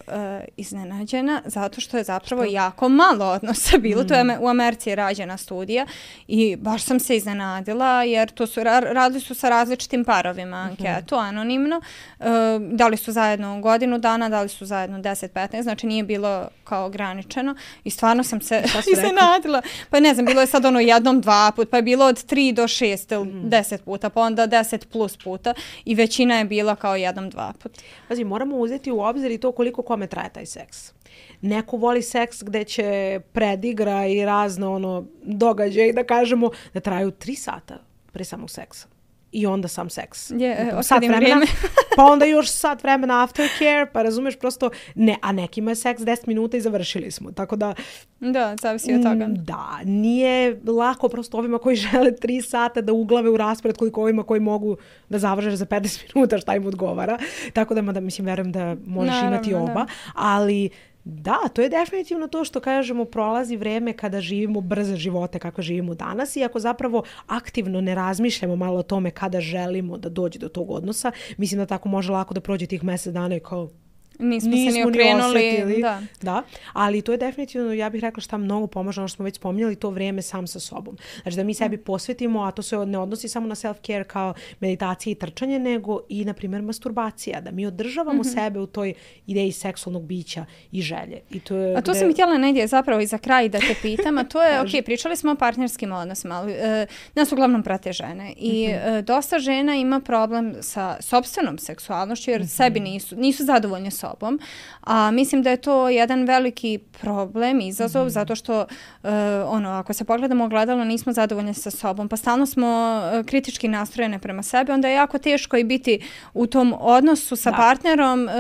iznenađena zato što je zapravo što? jako malo odnosa bilo. Mm. To je u Americi rađena studija i baš sam se iznenadila jer to su, radili su sa različitim parovima anketu, mm-hmm. anonimno. E, da li su zajedno godinu dana, da li su zajedno deset petnaest, znači nije bilo kao ograničeno i stvarno sam se iznenadila. Pa ne znam, bilo je sad ono jednom dva put, pa je bilo od tri do šest ili mm. deset puta, pa onda deset plus puta i većina je bila kao jednom dva put. Pazi, moramo uzeti u obzir i to koliko kome traje taj seks. Neko voli seks gde će predigra i razne ono događaje, da kažemo, da traju tri sata pre samog seksa. I onda sam seks. Yeah, sat vremena, pa onda još sat vremena aftercare, pa razumeš prosto, ne, a nekima je seks deset minuta i završili smo, tako da... Da, zavisi od toga. Da, nije lako prosto ovima koji žele tri sata da uglave u raspored koliko ovima koji mogu da završe za pedeset minuta šta im odgovara, tako da, da mislim, verujem da možeš Naravno, imati oba, da. ali... Da, to je definitivno to što kažemo, prolazi vreme kada živimo brze živote kako živimo danas i ako zapravo aktivno ne razmišljamo malo o tome kada želimo da dođe do tog odnosa, mislim da tako može lako da prođe tih mjesec dana i kao nismo, nismo se ni okrenuli. Ni da. da, ali to je definitivno, ja bih rekla šta mnogo pomaže, ono što smo već spominjali, to vrijeme sam sa sobom. Znači da mi sebi posvetimo, a to se ne odnosi samo na self-care kao meditacije i trčanje, nego i, na primjer, masturbacija. Da mi održavamo mm-hmm. sebe u toj ideji seksualnog bića i želje. I to je a to gde... sam i htjela negdje zapravo i za kraj da te pitam, a to je, ok, pričali smo o partnerskim odnosima, ali e, nas uglavnom prate žene i mm-hmm. e, dosta žena ima problem sa sopstvenom seksualnošću jer mm-hmm. sebi nisu, nisu zadovoljne sobom. A mislim da je to jedan veliki problem, izazov, mm-hmm. zato što uh, ono, ako se pogledamo ogledalo, nismo zadovoljni sa sobom, pa stalno smo uh, kritički nastrojene prema sebi, onda je jako teško i biti u tom odnosu sa da. partnerom uh,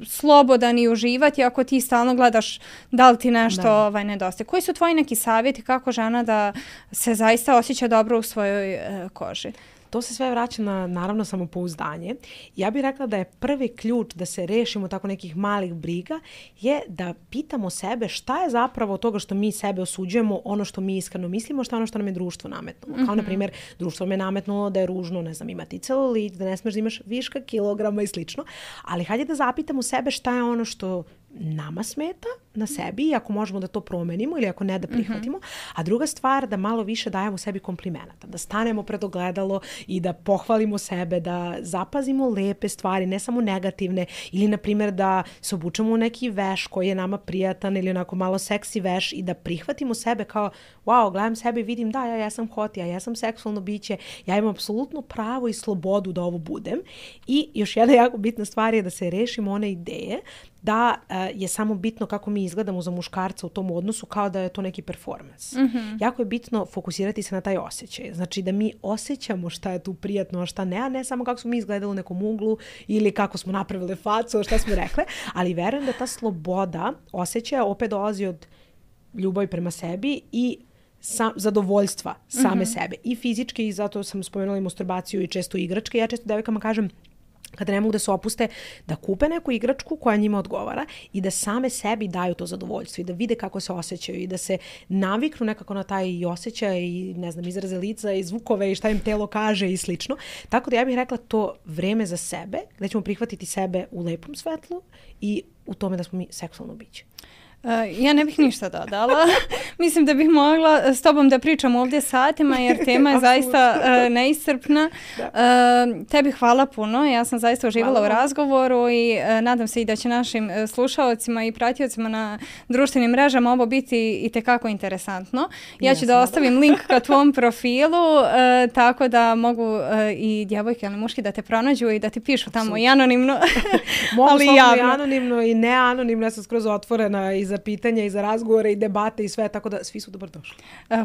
slobodan i uživati ako ti stalno gledaš da li ti nešto da. ovaj, nedostaje. Koji su tvoji neki savjeti kako žena da se zaista osjeća dobro u svojoj uh, koži? To se sve vraća na, naravno, samopouzdanje. Ja bih rekla da je prvi ključ da se rešimo tako nekih malih briga je da pitamo sebe šta je zapravo od toga što mi sebe osuđujemo, ono što mi iskreno mislimo, šta je ono što nam je društvo nametnulo. Mm-hmm. Kao, na primjer, društvo me nametnulo da je ružno, ne znam, imati celulit, da ne smiješ da imaš viška kilograma i slično. Ali hajde da zapitamo sebe šta je ono što nama smeta na sebi i ako možemo da to promenimo ili ako ne da prihvatimo. Mm-hmm. A druga stvar, da malo više dajemo sebi komplimenata, da stanemo pred ogledalo i da pohvalimo sebe, da zapazimo lepe stvari, ne samo negativne, ili na primjer da se obučemo u neki veš koji je nama prijatan ili onako malo seksi veš i da prihvatimo sebe kao, wow, gledam sebe i vidim da, ja jesam hot, ja jesam seksualno biće, ja imam apsolutno pravo i slobodu da ovo budem. I još jedna jako bitna stvar je da se rešimo one ideje da uh, je samo bitno kako mi izgledamo za muškarca u tom odnosu kao da je to neki performans. Mm-hmm. Jako je bitno fokusirati se na taj osjećaj. Znači da mi osjećamo šta je tu prijatno, a šta ne, a ne samo kako smo mi izgledali u nekom uglu ili kako smo napravile facu, šta smo rekle, ali verujem da ta sloboda osjećaja opet dolazi od ljubavi prema sebi i sam, zadovoljstva same mm-hmm. sebe. I fizički, i zato sam spomenula i masturbaciju i često igračke. Ja često devojkama kažem, kada ne mogu da se opuste, da kupe neku igračku koja njima odgovara i da same sebi daju to zadovoljstvo i da vide kako se osjećaju i da se naviknu nekako na taj osjećaj i, ne znam, izraze lica i zvukove i šta im telo kaže i slično. Tako da ja bih rekla to vreme za sebe, gdje ćemo prihvatiti sebe u lepom svetlu i u tome da smo mi seksualno biće. Uh, ja ne bih ništa dodala. Mislim da bih mogla s tobom da pričam ovdje satima jer tema je zaista uh, neiscrpna. Uh, tebi hvala puno. Ja sam zaista uživala hvala. u razgovoru i uh, nadam se i da će našim uh, slušaocima i pratiocima na društvenim mrežama ovo biti i tekako interesantno. Ja ću ja da ostavim link ka tvom profilu uh, tako da mogu uh, i djevojke ili muški da te pronađu i da ti pišu tamo i anonimno. Mogu i anonimno i neanonimno. Ja sam skroz otvorena i za pitanja i za razgovore i debate i sve, tako da svi su dobrodošli.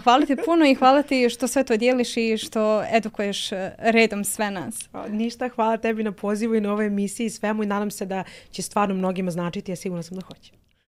Hvala ti puno i hvala ti što sve to dijeliš i što edukuješ redom sve nas. Ništa, hvala tebi na pozivu i na ovoj emisiji i svemu i nadam se da će stvarno mnogima značiti, ja sigurno sam da hoće.